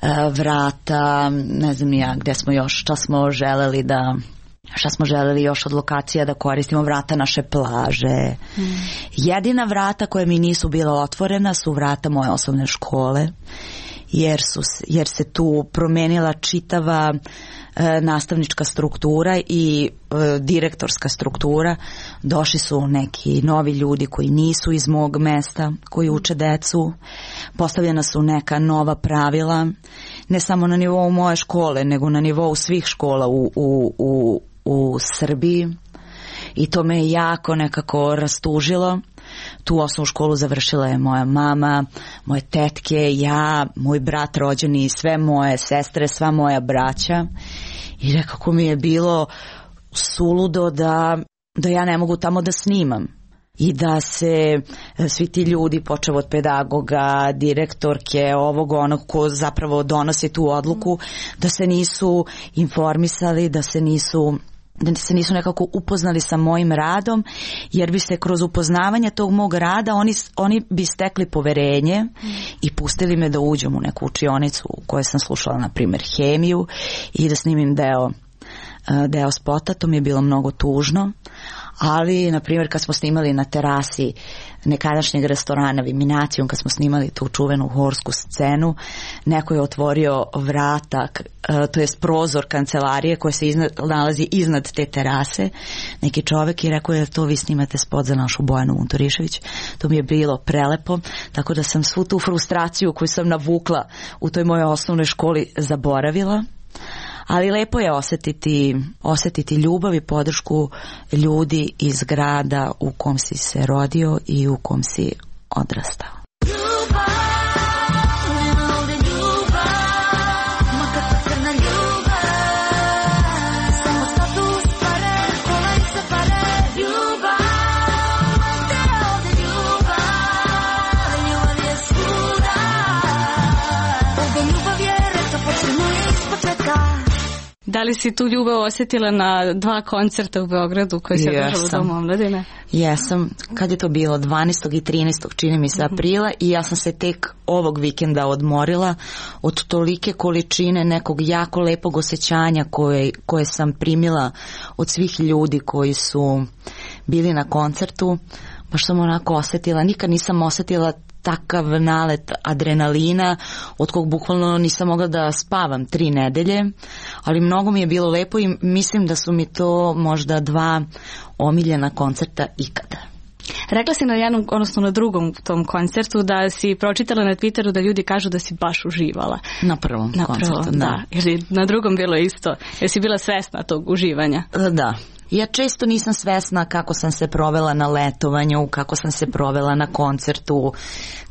a, vrata, ne znam ja gde smo još, šta smo želeli da... šta smo želeli još od lokacija da koristimo, vrata naše plaže. Mm. Jedina vrata koje mi nisu bila otvorena su vrata moje osnovne škole, jer, su, jer se tu promenila čitava e, nastavnička struktura i e, direktorska struktura. Došli su neki novi ljudi koji nisu iz mog mesta, koji uče decu. Postavljena su neka nova pravila, ne samo na nivou moje škole, nego na nivou svih škola u, u, u u Srbiji, i to me je jako nekako rastužilo. Tu osnovnu školu završila je moja mama, moje tetke, ja, moj brat rođeni, sve moje sestre, sva moja braća, i nekako mi je bilo suludo da, da ja ne mogu tamo da snimam. i da se svi ti ljudi, počev od pedagoga, direktorke, ovog onog ko zapravo donosi tu odluku, da se nisu informisali, da se nisu da se nisu nekako upoznali sa mojim radom, jer bi se kroz upoznavanje tog mog rada oni, oni bi stekli poverenje i pustili me da uđem u neku učionicu u kojoj sam slušala, na primjer, hemiju i da snimim deo, deo spota. To mi je bilo mnogo tužno, ali, na primjer, kad smo snimali na terasi nekadašnjeg restorana Viminacijum, kad smo snimali tu čuvenu horsku scenu, neko je otvorio vrata, to jest prozor kancelarije koja se iznad, nalazi iznad te terase, neki čovek, i rekao je, to vi snimate spot za našu Bojanu Unturišević. To mi je bilo prelepo, tako da sam svu tu frustraciju koju sam navukla u toj mojoj osnovnoj školi zaboravila. Ali lepo je osjetiti, osjetiti ljubav i podršku ljudi iz grada u kom si se rodio i u kom si odrastao. Da li si tu ljubav osjetila na dva koncerta u Beogradu koji se održava u Domu omladine? Jesam. Kad je to bilo? dvanaestog i trinaestog čini mi se aprila, i ja sam se tek ovog vikenda odmorila od tolike količine nekog jako lepog osjećanja koje, koje sam primila od svih ljudi koji su bili na koncertu. Baš sam onako osjetila, nikad nisam osjetila takav nalet adrenalina od kog bukvalno nisam mogla da spavam tri nedelje, ali mnogo mi je bilo lepo i mislim da su mi to možda dva omiljena koncerta ikada. Rekla si na jednom, odnosno na drugom tom koncertu, da si pročitala na Twitteru da ljudi kažu da si baš uživala. Na prvom na koncertu, prvom, da. da. Jer na drugom bilo isto. Jer si bila svesna tog uživanja. Da. Ja često nisam svesna kako sam se provela na letovanju, kako sam se provela na koncertu,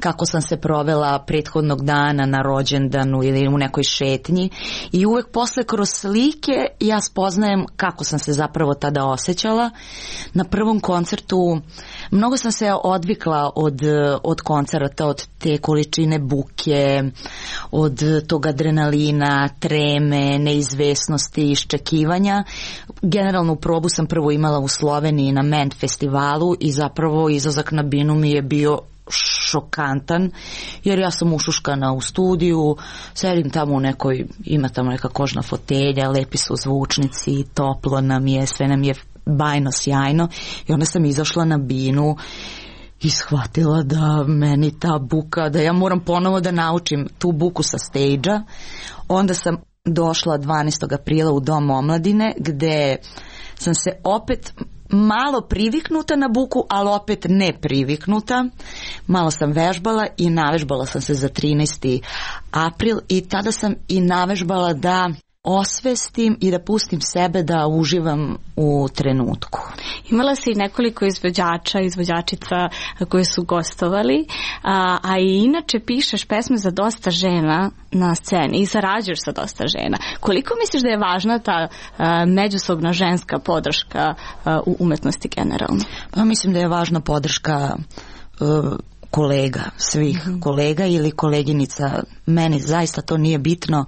kako sam se provela prethodnog dana na rođendanu ili u nekoj šetnji, i uvek posle kroz slike ja spoznajem kako sam se zapravo tada osjećala. Na prvom koncertu mnogo sam se odvikla od, od koncerta, od te količine buke, od tog adrenalina, treme, neizvesnosti, iščekivanja. Generalnu probu sam prvo imala u Sloveniji na Ment festivalu i zapravo izlazak na binu mi je bio šokantan, jer ja sam ušuškana u studiju, sedim tamo u nekoj, ima tamo neka kožna fotelja, lepi su zvučnici, toplo nam je, sve nam je bajno, sjajno, i onda sam izašla na binu i shvatila da meni ta buka, da ja moram ponovo da naučim tu buku sa stage-a. Onda sam došla dvanaestog aprila u Dom omladine, gde sam se opet malo priviknuta na buku, ali opet ne priviknuta. Malo sam vežbala i navežbala sam se za trinaesti april, i tada sam i navežbala da osvestim i da pustim sebe da uživam u trenutku. Imala si nekoliko izvođača, izvođačica koji su gostovali, a, a i inače pišeš pesme za dosta žena na sceni i sarađuješ sa dosta žena. Koliko misliš da je važna ta a, međusobna ženska podrška a, u umetnosti generalno? Pa mislim da je važna podrška uh, kolega, svih mm-hmm. kolega ili koleginica. Meni zaista to nije bitno.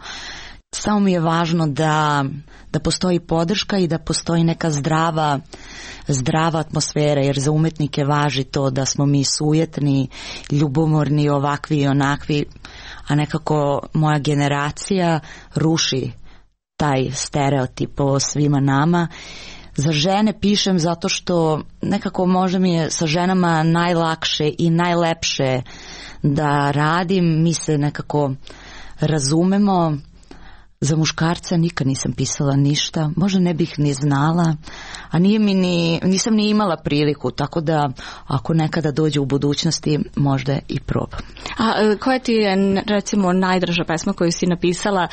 Samo mi je važno da, da postoji podrška i da postoji neka zdrava, zdrava atmosfera, jer za umetnike važi to da smo mi sujetni, ljubomorni, ovakvi i onakvi, a nekako moja generacija ruši taj stereotip o svima nama. Za žene pišem zato što nekako možda mi je sa ženama najlakše i najlepše da radim, mi se nekako razumemo. Za muškarca nikad nisam pisala ništa, možda ne bih ni znala, a nije mi ni, nisam ni imala priliku, tako da ako nekada dođe u budućnosti, možda i probam. A koja ti je, recimo, najdraža pesma koju si napisala,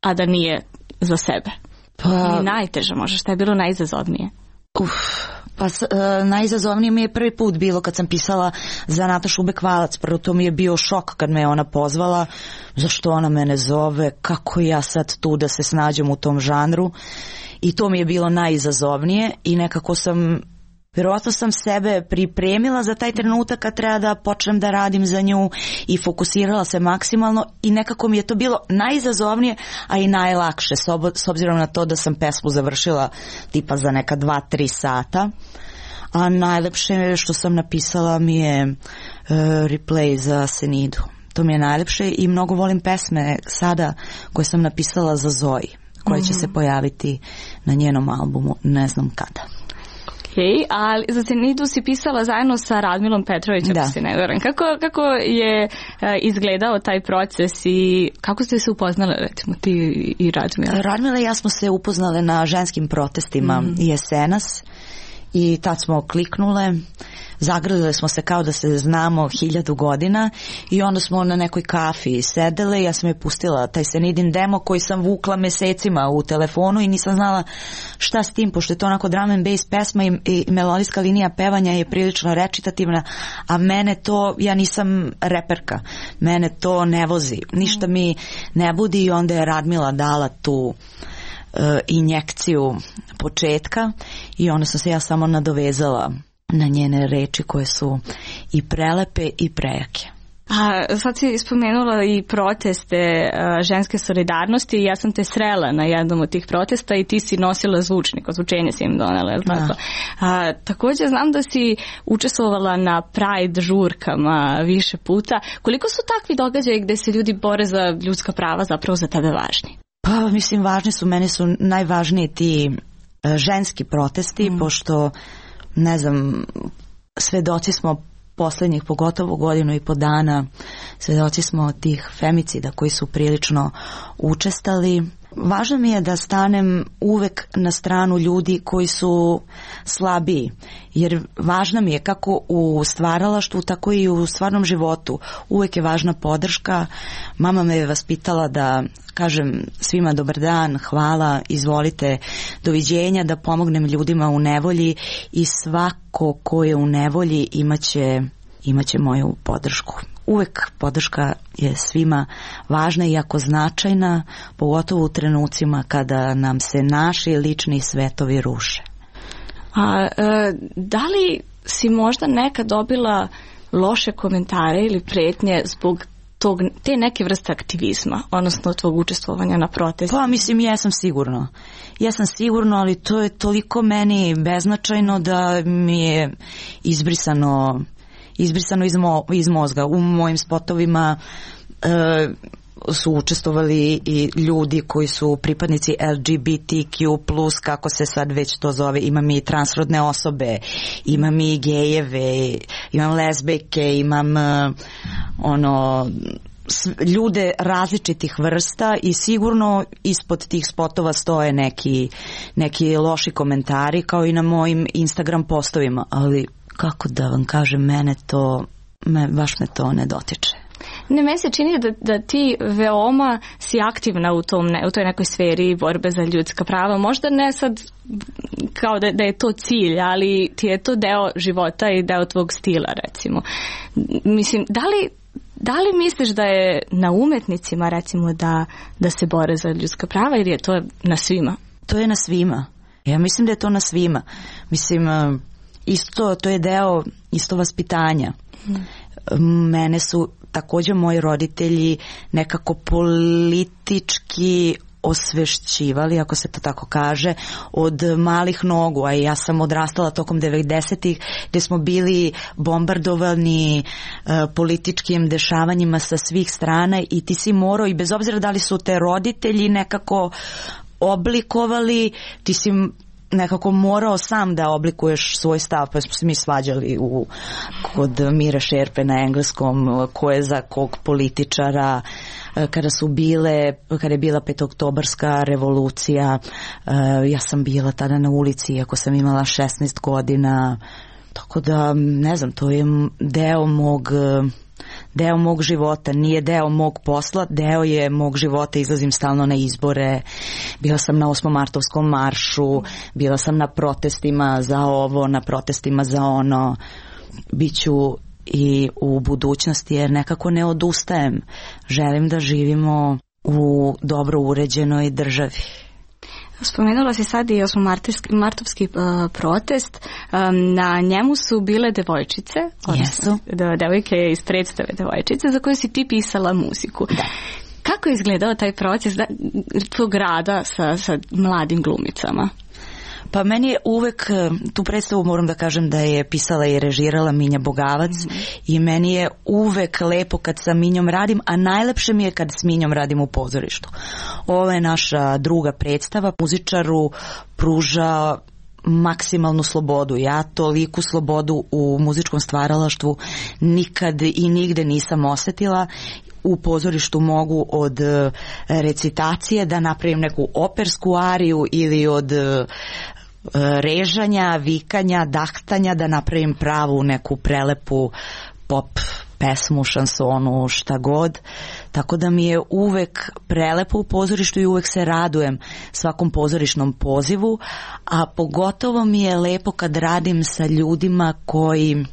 a da nije za sebe? Pa, ni najteža možda, šta je bilo najizazovnije? Uf, pa uh, najizazovnije mi je prvi put bilo kad sam pisala za Natašu Bekvalac. Prvo to mi je bio šok kad me ona pozvala, zašto ona mene zove, kako ja sad tu da se snađem u tom žanru, i to mi je bilo najizazovnije, i nekako sam Vjerovatno sam sebe pripremila za taj trenutak kad treba da počnem da radim za nju i fokusirala se maksimalno i nekako mi je to bilo najizazovnije, a i najlakše, s obzirom na to da sam pesmu završila tipa za neka dva, tri sata. A najlepše što sam napisala mi je uh, replay za Senidu. To mi je najlepše i mnogo volim pesme sada koje sam napisala za Zoji, koje će se pojaviti na njenom albumu, ne znam kada. Okay, ali za Senidu si pisala zajedno sa Radmilom Petrovićem, ako se ne varam. Kako, kako je uh, izgledao taj proces i kako ste se upoznali, recimo, ti i Radmila? Radmila i ja smo se upoznale na ženskim protestima mm. Jesenas i tad smo kliknule, zagrlile smo se kao da se znamo hiljadu godina i onda smo na nekoj kafi sedele i ja sam je pustila taj Senidin demo koji sam vukla mesecima u telefonu i nisam znala šta s tim, pošto je to onako drum and bass pesma i, i melodijska linija pevanja je prilično recitativna, a mene to, ja nisam reperka, mene to ne vozi, ništa mi ne budi i onda je Radmila dala tu injekciju početka i onda sam se ja samo nadovezala na njene reči koje su i prelepe i prejake. A sad si spomenula i proteste a, ženske solidarnosti i ja sam te srela na jednom od tih protesta i ti si nosila zvučnik, ozvučenje si im donela, je li tako? A, također znam da si učestvovala na Pride žurkama više puta. Koliko su takvi događaji gde se ljudi bore za ljudska prava zapravo za tebe važni? Pa mislim važni su, meni su najvažniji ti uh, ženski protesti, mm. pošto ne znam, svedoci smo posljednjih pogotovo godinu i po dana, svedoci smo tih femicida koji su prilično učestali. Važno mi je da stanem uvek na stranu ljudi koji su slabiji, jer važno mi je kako u stvaralaštvu, tako i u stvarnom životu. Uvek je važna podrška. Mama me je vaspitala da kažem svima dobar dan, hvala, izvolite, doviđenja, da pomognem ljudima u nevolji i svako ko je u nevolji imaće, imaće moju podršku. Uvek podrška je svima važna i jako značajna, pogotovo u trenucima kada nam se naši lični svetovi ruše. A e, da li si možda nekad dobila loše komentare ili pretnje zbog tog, te neke vrste aktivizma, odnosno tvog učestvovanja na protestima? Pa mislim, jesam sigurno. Jesam sigurno, ali to je toliko meni beznačajno da mi je izbrisano izbrisano iz, mo, iz mozga. U mojim spotovima e, su učestvovali i ljudi koji su pripadnici L G B T Q plus, kako se sad već to zove. Imam i transrodne osobe, imam i gejeve, imam lezbejke, imam e, ono ljude različitih vrsta i sigurno ispod tih spotova stoje neki, neki loši komentari kao i na mojim Instagram postovima, ali kako da vam kažem, mene to, me, baš me to ne dotiče. Ne, meni se čini da, da ti veoma si aktivna u, tom, ne, u toj nekoj sferi borbe za ljudska prava. Možda ne sad kao da, da je to cilj, ali ti je to deo života i deo tvog stila, recimo. Mislim, da li, da li misliš da je na umetnicima, recimo, da, da se bore za ljudska prava ili je to na svima? To je na svima. Ja mislim da je to na svima. Mislim, isto, to je deo isto vaspitanja. Hmm. Mene su također moji roditelji nekako politički osvešćivali, ako se to tako kaže, od malih nogu, a ja sam odrastala tokom devedesetih gdje smo bili bombardovani uh, političkim dešavanjima sa svih strana i ti si morao, i bez obzira da li su te roditelji nekako oblikovali, ti si nekako morao sam da oblikuješ svoj stav, pa smo se mi svađali u, kod Mire Šerpe na engleskom, ko je za kog političara, kada su bile, kada je bila petoktobarska revolucija, ja sam bila tada na ulici, iako sam imala šesnaest godina, tako da, ne znam, to je deo mog deo mog života, nije deo mog posla, deo je mog života, izlazim stalno na izbore, bila sam na osmomartovskom maršu, bila sam na protestima za ovo, na protestima za ono, biću i u budućnosti jer nekako ne odustajem, želim da živimo u dobro uređenoj državi. Spomenula si sad i osmomartovski martovski uh, protest. Um, na njemu su bile devojčice, odnosno yes. devojke iz predstave Devojčice, za koje si ti pisala muziku. Da. Kako je izgledao taj proces da, tvog rada sa, sa mladim glumicama? Pa meni je uvek, tu predstavu moram da kažem da je pisala i režirala Minja Bogavac mm-hmm. i meni je uvek lepo kad sa Minjom radim, a najlepše mi je kad s Minjom radim u pozorištu. Ovo je naša druga predstava, muzičaru pruža maksimalnu slobodu. Ja toliku slobodu u muzičkom stvaralaštvu nikad i nigde nisam osetila. U pozorištu mogu od recitacije da napravim neku opersku ariju ili od režanja, vikanja, dahtanja da napravim pravu neku prelepu pop pesmu, šansonu, šta god. Tako da mi je uvek prelepo u pozorištu i uvek se radujem svakom pozorišnom pozivu, a pogotovo mi je lepo kad radim sa ljudima koji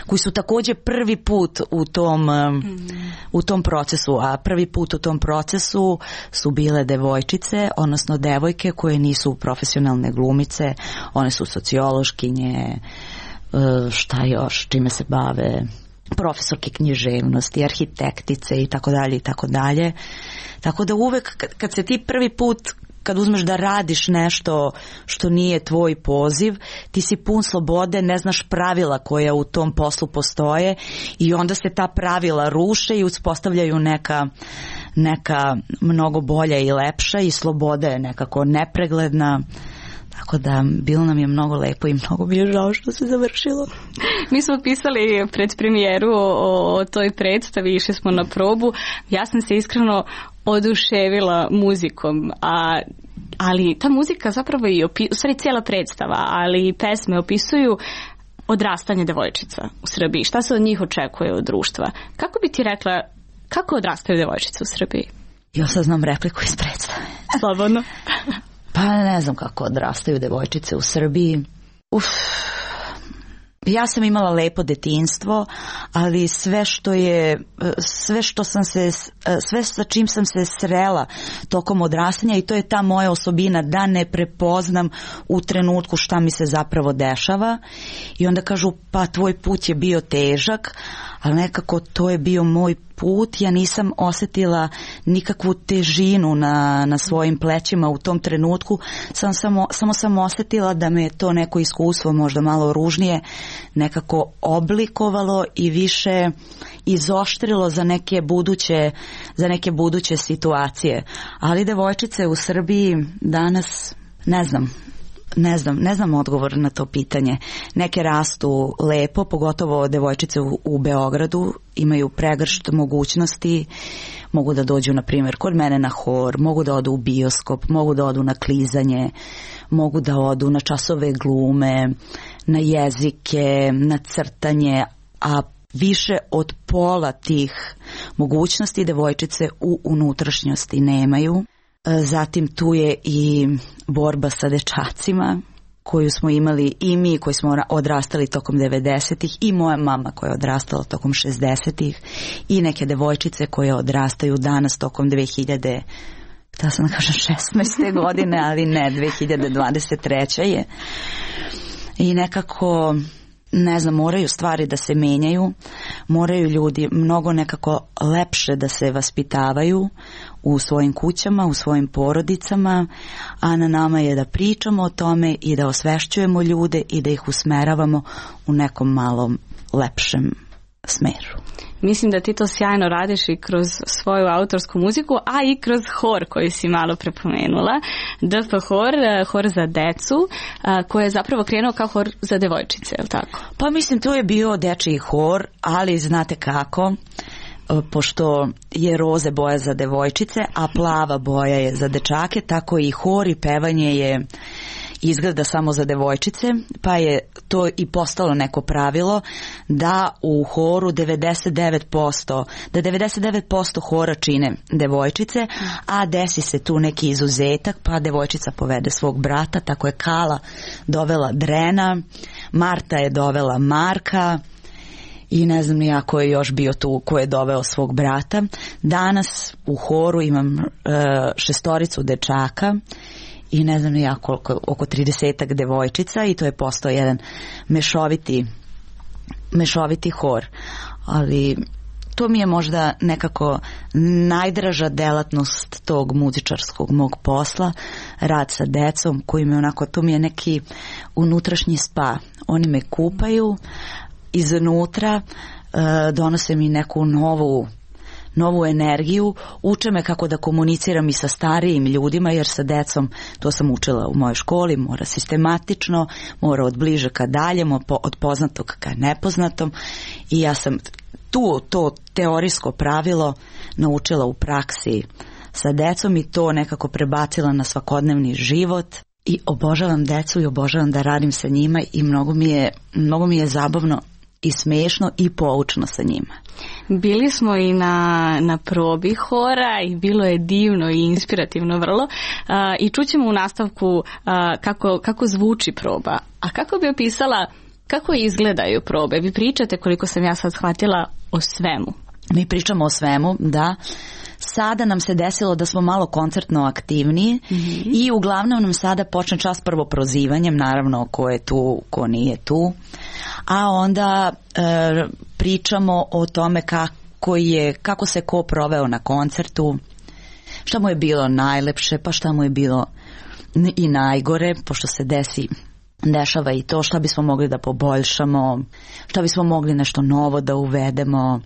koji su takođe prvi put u tom, mm. u tom procesu, a prvi put u tom procesu su bile devojčice, odnosno devojke koje nisu profesionalne glumice, one su sociološkinje, šta još, čime se bave, profesorke književnosti, arhitektice i tako dalje i tako dalje. Tako da uvek kad se ti prvi put kad uzmeš da radiš nešto što nije tvoj poziv, ti si pun slobode, ne znaš pravila koja u tom poslu postoje i onda se ta pravila ruše i uspostavljaju neka, neka mnogo bolja i lepša i sloboda je nekako nepregledna. Tako da bilo nam je mnogo lepo i mnogo mi je žao što se završilo. Mi smo pisali pred premijeru o, o toj predstavi, išli smo na probu. Ja sam se iskreno oduševila muzikom, a, ali ta muzika zapravo i opi, u stvari cijela predstava, ali i pesme opisuju odrastanje devojčica u Srbiji. Šta se od njih očekuje od društva? Kako bi ti rekla, kako odrastaju devojčice u Srbiji? Ja sad znam repliku iz predstave. Slobodno. Pa ne znam kako odrastaju devojčice u Srbiji. Uf. Ja sam imala lepo detinjstvo, ali sve što je, sve što sam se, sve sa čim sam se srela tokom odrastanja i to je ta moja osobina da ne prepoznam u trenutku šta mi se zapravo dešava i onda kažu pa tvoj put je bio težak, ali nekako to je bio moj put, ja nisam osetila nikakvu težinu na, na svojim plećima u tom trenutku, sam samo, samo sam osetila da me to neko iskustvo možda malo ružnije nekako oblikovalo i više izoštrilo za neke buduće, za neke buduće situacije. Ali devojčice u Srbiji danas, ne znam, Ne znam, ne znam odgovor na to pitanje. Neke rastu lepo, pogotovo devojčice u, u Beogradu, imaju pregršt mogućnosti, mogu da dođu, na primjer, kod mene na hor, mogu da odu u bioskop, mogu da odu na klizanje, mogu da odu na časove glume, na jezike, na crtanje, a više od pola tih mogućnosti devojčice u unutrašnjosti nemaju. Zatim tu je i borba sa dečacima koju smo imali i mi koji smo odrastali tokom devedesetih i moja mama koja je odrastala tokom šezdesetih i neke devojčice koje odrastaju danas tokom dve hiljade, htela sam da kažem šesnaeste godine, ali ne, dve hiljade dvadeset treće je. I nekako, ne znam, moraju stvari da se menjaju, moraju ljudi mnogo nekako lepše da se vaspitavaju u svojim kućama, u svojim porodicama, a na nama je da pričamo o tome i da osvešćujemo ljude i da ih usmeravamo u nekom malom lepšem smeru. Mislim da ti to sjajno radiš i kroz svoju autorsku muziku, a i kroz hor koji si malo prepomenula. D F hor, hor za decu, koji je zapravo krenuo kao hor za devojčice, je li tako? Pa mislim, to je bio dečiji hor, ali znate kako, pošto je roze boja za devojčice, a plava boja je za dečake, tako i hor i pevanje je izgleda samo za devojčice, pa je to i postalo neko pravilo da u horu devedeset devet posto, da devedeset devet posto hora čine devojčice, a desi se tu neki izuzetak, pa devojčica povede svog brata, tako je Kala dovela Drena, Marta je dovela Marka, i ne znam nija ko je još bio tu, ko je doveo svog brata. Danas u horu imam e, šestoricu dečaka i ne znam ja koliko, oko tridesetak devojčica i to je postao jedan mešoviti, mešoviti hor. Ali to mi je možda nekako najdraža delatnost tog muzičarskog mog posla, rad sa decom koji mi onako, to mi je neki unutrašnji spa. Oni me kupaju iznutra, donose mi neku novu novu energiju, uče me kako da komuniciram i sa starijim ljudima, jer sa decom, to sam učila u mojoj školi, mora sistematično, mora od bliže ka daljem, od poznatog ka nepoznatom, i ja sam tu to teorijsko pravilo naučila u praksi sa decom i to nekako prebacila na svakodnevni život. I obožavam decu i obožavam da radim sa njima i mnogo mi je, mnogo mi je zabavno i smešno i poučno sa njima. Bili smo i na, na probi hora i bilo je divno i inspirativno vrlo. Uh, I čućemo u nastavku uh, kako, kako zvuči proba. A kako bi opisala kako izgledaju probe? Vi pričate, koliko sam ja sad shvatila, o svemu. Mi pričamo o svemu, da. Sada nam se desilo da smo malo koncertno aktivniji, mm-hmm. i uglavnom nam sada počne čas prvo prozivanjem, naravno ko je tu, ko nije tu, a onda e, pričamo o tome kako je, kako se ko proveo na koncertu, šta mu je bilo najlepše, pa šta mu je bilo i najgore, pošto se desi dešava i to, šta bismo mogli da poboljšamo, šta bismo mogli nešto novo da uvedemo,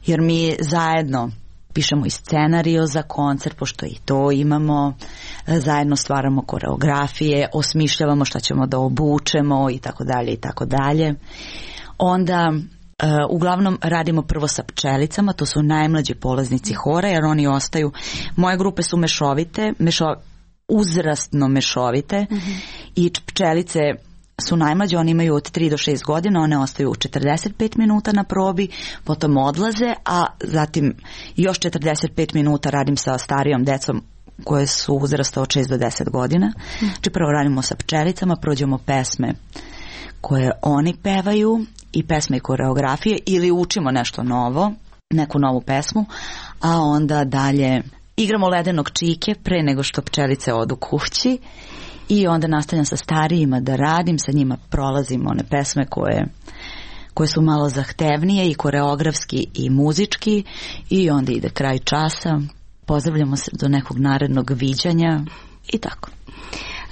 jer mi zajedno pišemo i scenario za koncert, pošto i to imamo, zajedno stvaramo koreografije, osmišljavamo šta ćemo da obučemo i tako dalje i tako dalje. Onda uh, uglavnom radimo prvo sa pčelicama, to su najmlađi polaznici hora, jer oni ostaju, moje grupe su mešovite, mešo, uzrastno mešovite, mm-hmm. i pčelice su najmlađe, oni imaju od tri do šest godina, one ostaju četrdeset pet minuta na probi, potom odlaze, a zatim još četrdeset pet minuta radim sa starijom decom koje su uzrasta od šest do deset godina. Znači prvo radimo sa pčelicama, prođemo pesme koje oni pevaju i pesme i koreografije, ili učimo nešto novo, neku novu pesmu, a onda dalje igramo ledenog čike pre nego što pčelice odu kući. I onda nastavljam sa starijima da radim, sa njima prolazim one pesme koje, koje su malo zahtevnije i koreografski i muzički, i onda ide kraj časa, pozdravljamo se do nekog narednog viđanja i tako.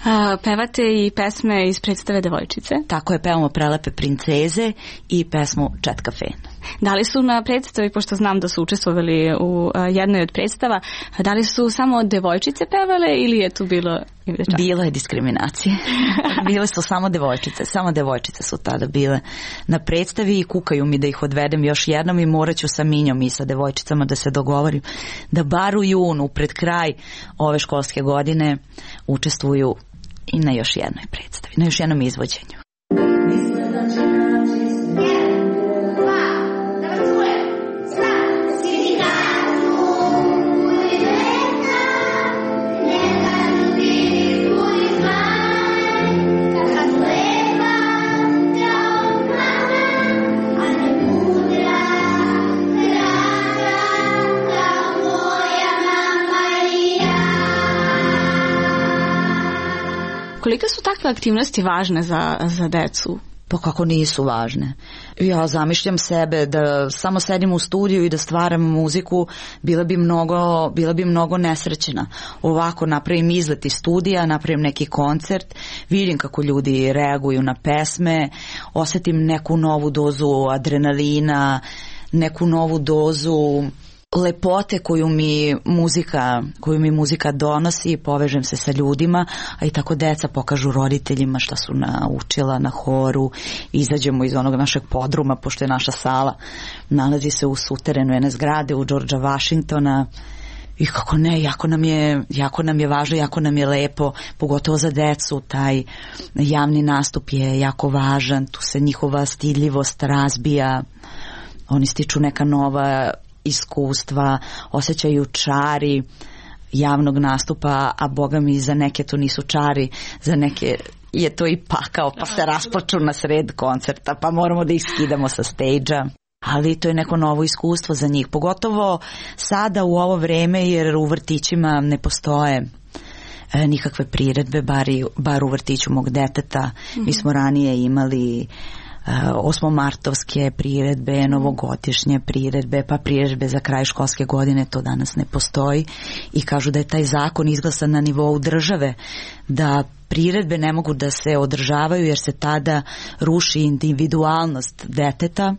A, pevate i pesme iz predstave Devojčice? Tako je, pevamo Prelepe princeze i pesmu Četka Fena. Da li su na predstavi, pošto znam da su učestvovali u a, jednoj od predstava, da li su samo devojčice pevale ili je tu bilo i dečaka? Bilo je diskriminacije. Bile su samo devojčice. Samo devojčice su tada bile na predstavi i kukaju mi da ih odvedem još jednom i morat ću sa Minjom i sa devojčicama da se dogovorim da bar u junu, pred kraj ove školske godine, učestvuju i na još jednoj predstavi, na još jednom izvođenju. Koliko su takve aktivnosti važne za, za decu? Pa kako nisu važne. Ja zamišljam sebe da samo sedim u studiju i da stvaram muziku, bila bi mnogo, bila bi mnogo nesrećena. Ovako napravim izlet iz studija, napravim neki koncert, vidim kako ljudi reaguju na pesme, osetim neku novu dozu adrenalina, neku novu dozu lepote koju mi muzika, koju mi muzika donosi, povežem se sa ljudima, a i tako deca pokažu roditeljima šta su naučila na horu, izađemo iz onog našeg podruma, pošto je naša sala nalazi se u suterenu jedne zgrade u Georgea Washingtona. I kako ne, jako nam je, jako nam je važno, jako nam je lepo, pogotovo za decu, taj javni nastup je jako važan, tu se njihova stidljivost razbija, oni stiču neka nova iskustva, osjećaju čari javnog nastupa, a boga mi za neke to nisu čari, za neke je to i pakao, pa se rasplaču na sred koncerta, pa moramo da ih skidamo sa stage-a. Ali to je neko novo iskustvo za njih, pogotovo sada u ovo vreme, jer u vrtićima ne postoje e, nikakve priredbe, bar, i, bar u vrtiću mog deteta. Mm-hmm. Mi smo ranije imali osmomartovske priredbe, novogodišnje priredbe, pa priredbe za kraj školske godine, to danas ne postoji i kažu da je taj zakon izglasan na nivou države, da priredbe ne mogu da se održavaju jer se tada ruši individualnost deteta.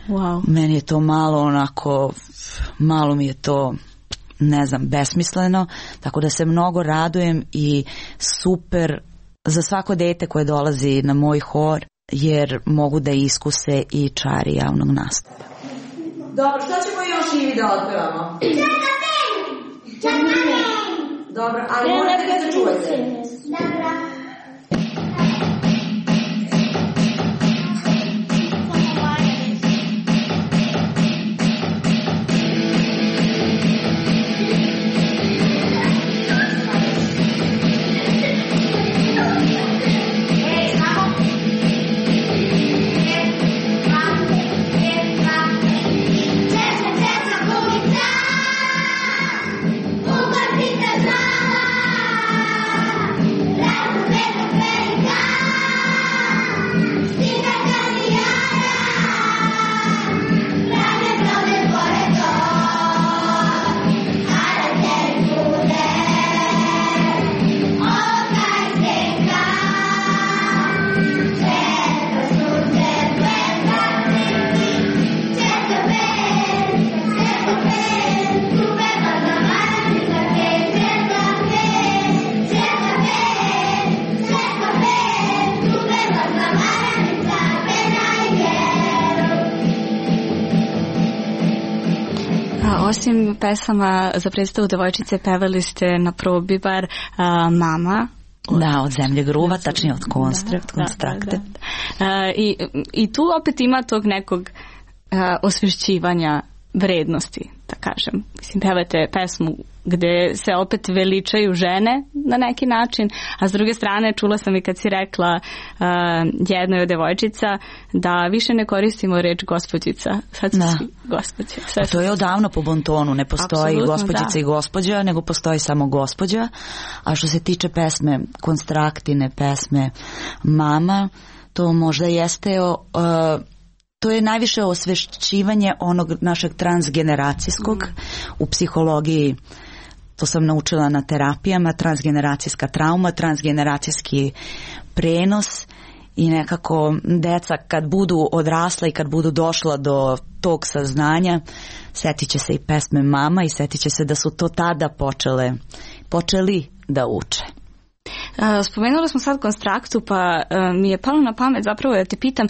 Wow. Meni je to malo onako, malo mi je to, ne znam, besmisleno, tako da se mnogo radujem i super za svako dete koje dolazi na moj hor, jer mogu da iskuse i čari javnog nastupa. Dobro, što ćemo još Ivi da otpevamo? Dobro, ali morate da se čujete. Dobro. Osim pesama za predstavu devojčice, pevali ste na probi bar a, Mama. Da, od Zemlje gruva, tačnije od Konstrakt, da, Konstrakte. Da, da, da. A, i, I tu opet ima tog nekog a, osvešćivanja vrednosti, da kažem. Mislim, pevate pesmu gde se opet veličaju žene na neki način, a s druge strane čula sam i kad si rekla uh, jednoj od devojčica da više ne koristimo reč gospođica, sad su svi gospođe. A to je odavno po bontonu, ne postoji Absolutno, gospođica da. I gospođa, nego postoji samo gospođa, a što se tiče pesme Konstraktine, pesme Mama, to možda jeste uh, to je najviše osvešćivanje onog našeg transgeneracijskog mm. u psihologiji. To sam naučila na terapijama, transgeneracijska trauma, transgeneracijski prenos i nekako deca kad budu odrasla i kad budu došla do tog saznanja, setit će se i pesme Mama i setit će se da su to tada počele, počeli da uče. Spomenuli smo sad Konstraktu, pa mi je palo na pamet zapravo da te pitam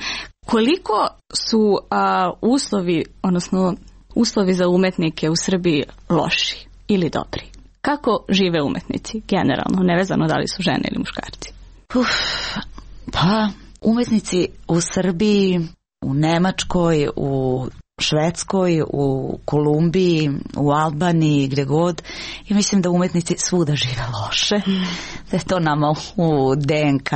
koliko su a, uslovi, odnosno uslovi za umetnike u Srbiji loši ili dobri? Kako žive umetnici generalno, nevezano da li su žene ili muškarci? Uf, pa, umetnici u Srbiji, u Nemačkoj, u Švedskoj, u Kolumbiji, u Albaniji, gdje god, i mislim da umetnici svuda žive loše, da je to nama u D N K.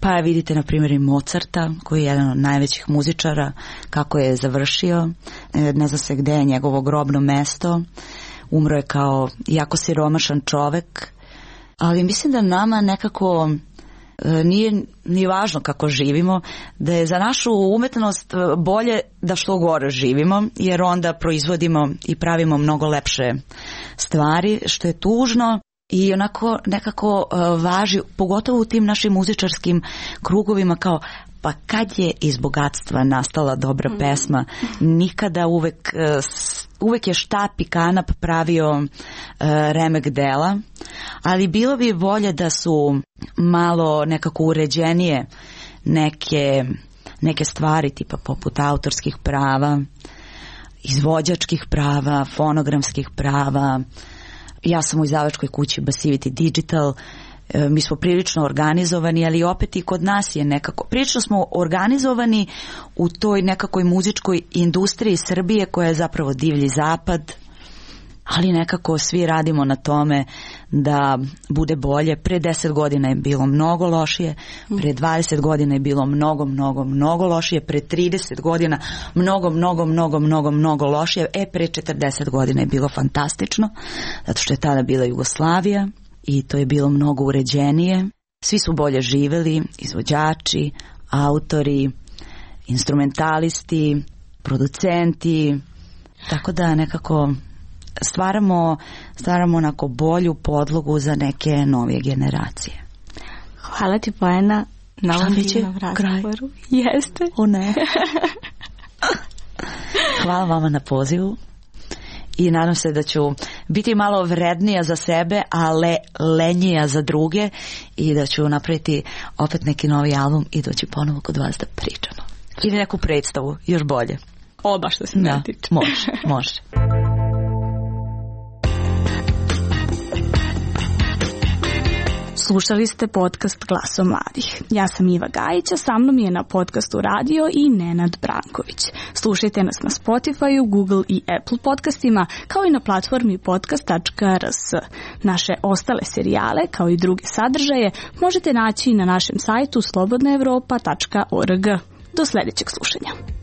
Pa vidite na primjer i Mozarta, koji je jedan od najvećih muzičara, kako je završio, ne zna se gdje je njegovo grobno mesto, umro je kao jako siromašan čovek, ali mislim da nama nekako nije ni važno kako živimo, da je za našu umetnost bolje da što gore živimo, jer onda proizvodimo i pravimo mnogo lepše stvari, što je tužno. I onako nekako uh, važi, pogotovo u tim našim muzičarskim krugovima, kao pa kad je iz bogatstva nastala dobra pesma, nikada uvek, uh, uvek je štap i kanap pravio uh, remek dela, ali bilo bi bolje da su malo nekako uređenije neke, neke stvari tipa poput autorskih prava, izvođačkih prava, fonogramskih prava. Ja sam u izdavačkoj kući Basivity Digital, e, mi smo prilično organizovani, ali opet i kod nas je nekako, prilično smo organizovani u toj nekakoj muzičkoj industriji Srbije koja je zapravo divlji zapad, ali nekako svi radimo na tome da bude bolje. Pre deset godina je bilo mnogo lošije, pre dvadeset godina je bilo mnogo, mnogo, mnogo lošije, pre trideset godina mnogo, mnogo, mnogo, mnogo, mnogo lošije, e pre četrdeset godina je bilo fantastično, zato što je tada bila Jugoslavija. i to je bilo mnogo uređenije. Svi su bolje živeli, izvođači, autori, instrumentalisti, producenti, tako da nekako stvaramo, stvaramo onako bolju podlogu za neke novije generacije. Hvala ti, Bojana, na ovom divnom razgovoru. Jeste. O ne. Hvala vama na pozivu i nadam se da ću biti malo vrednija za sebe, a le, lenjija za druge i da ću napraviti opet neki novi album i doći ponovo kod vas da pričamo. Ili neku predstavu, još bolje. Oba što se ne tiče. Može, može. Slušali ste podcast Glasom mladih. Ja sam Iva Gajić, a sa mnom je na podcastu radio i Nenad Branković. Slušajte nas na Spotify, Google i Apple podcastima, kao i na platformi podcast tačka r s. Naše ostale serijale, kao i druge sadržaje, možete naći na našem sajtu slobodna evropa tačka org. Do sljedećeg slušanja.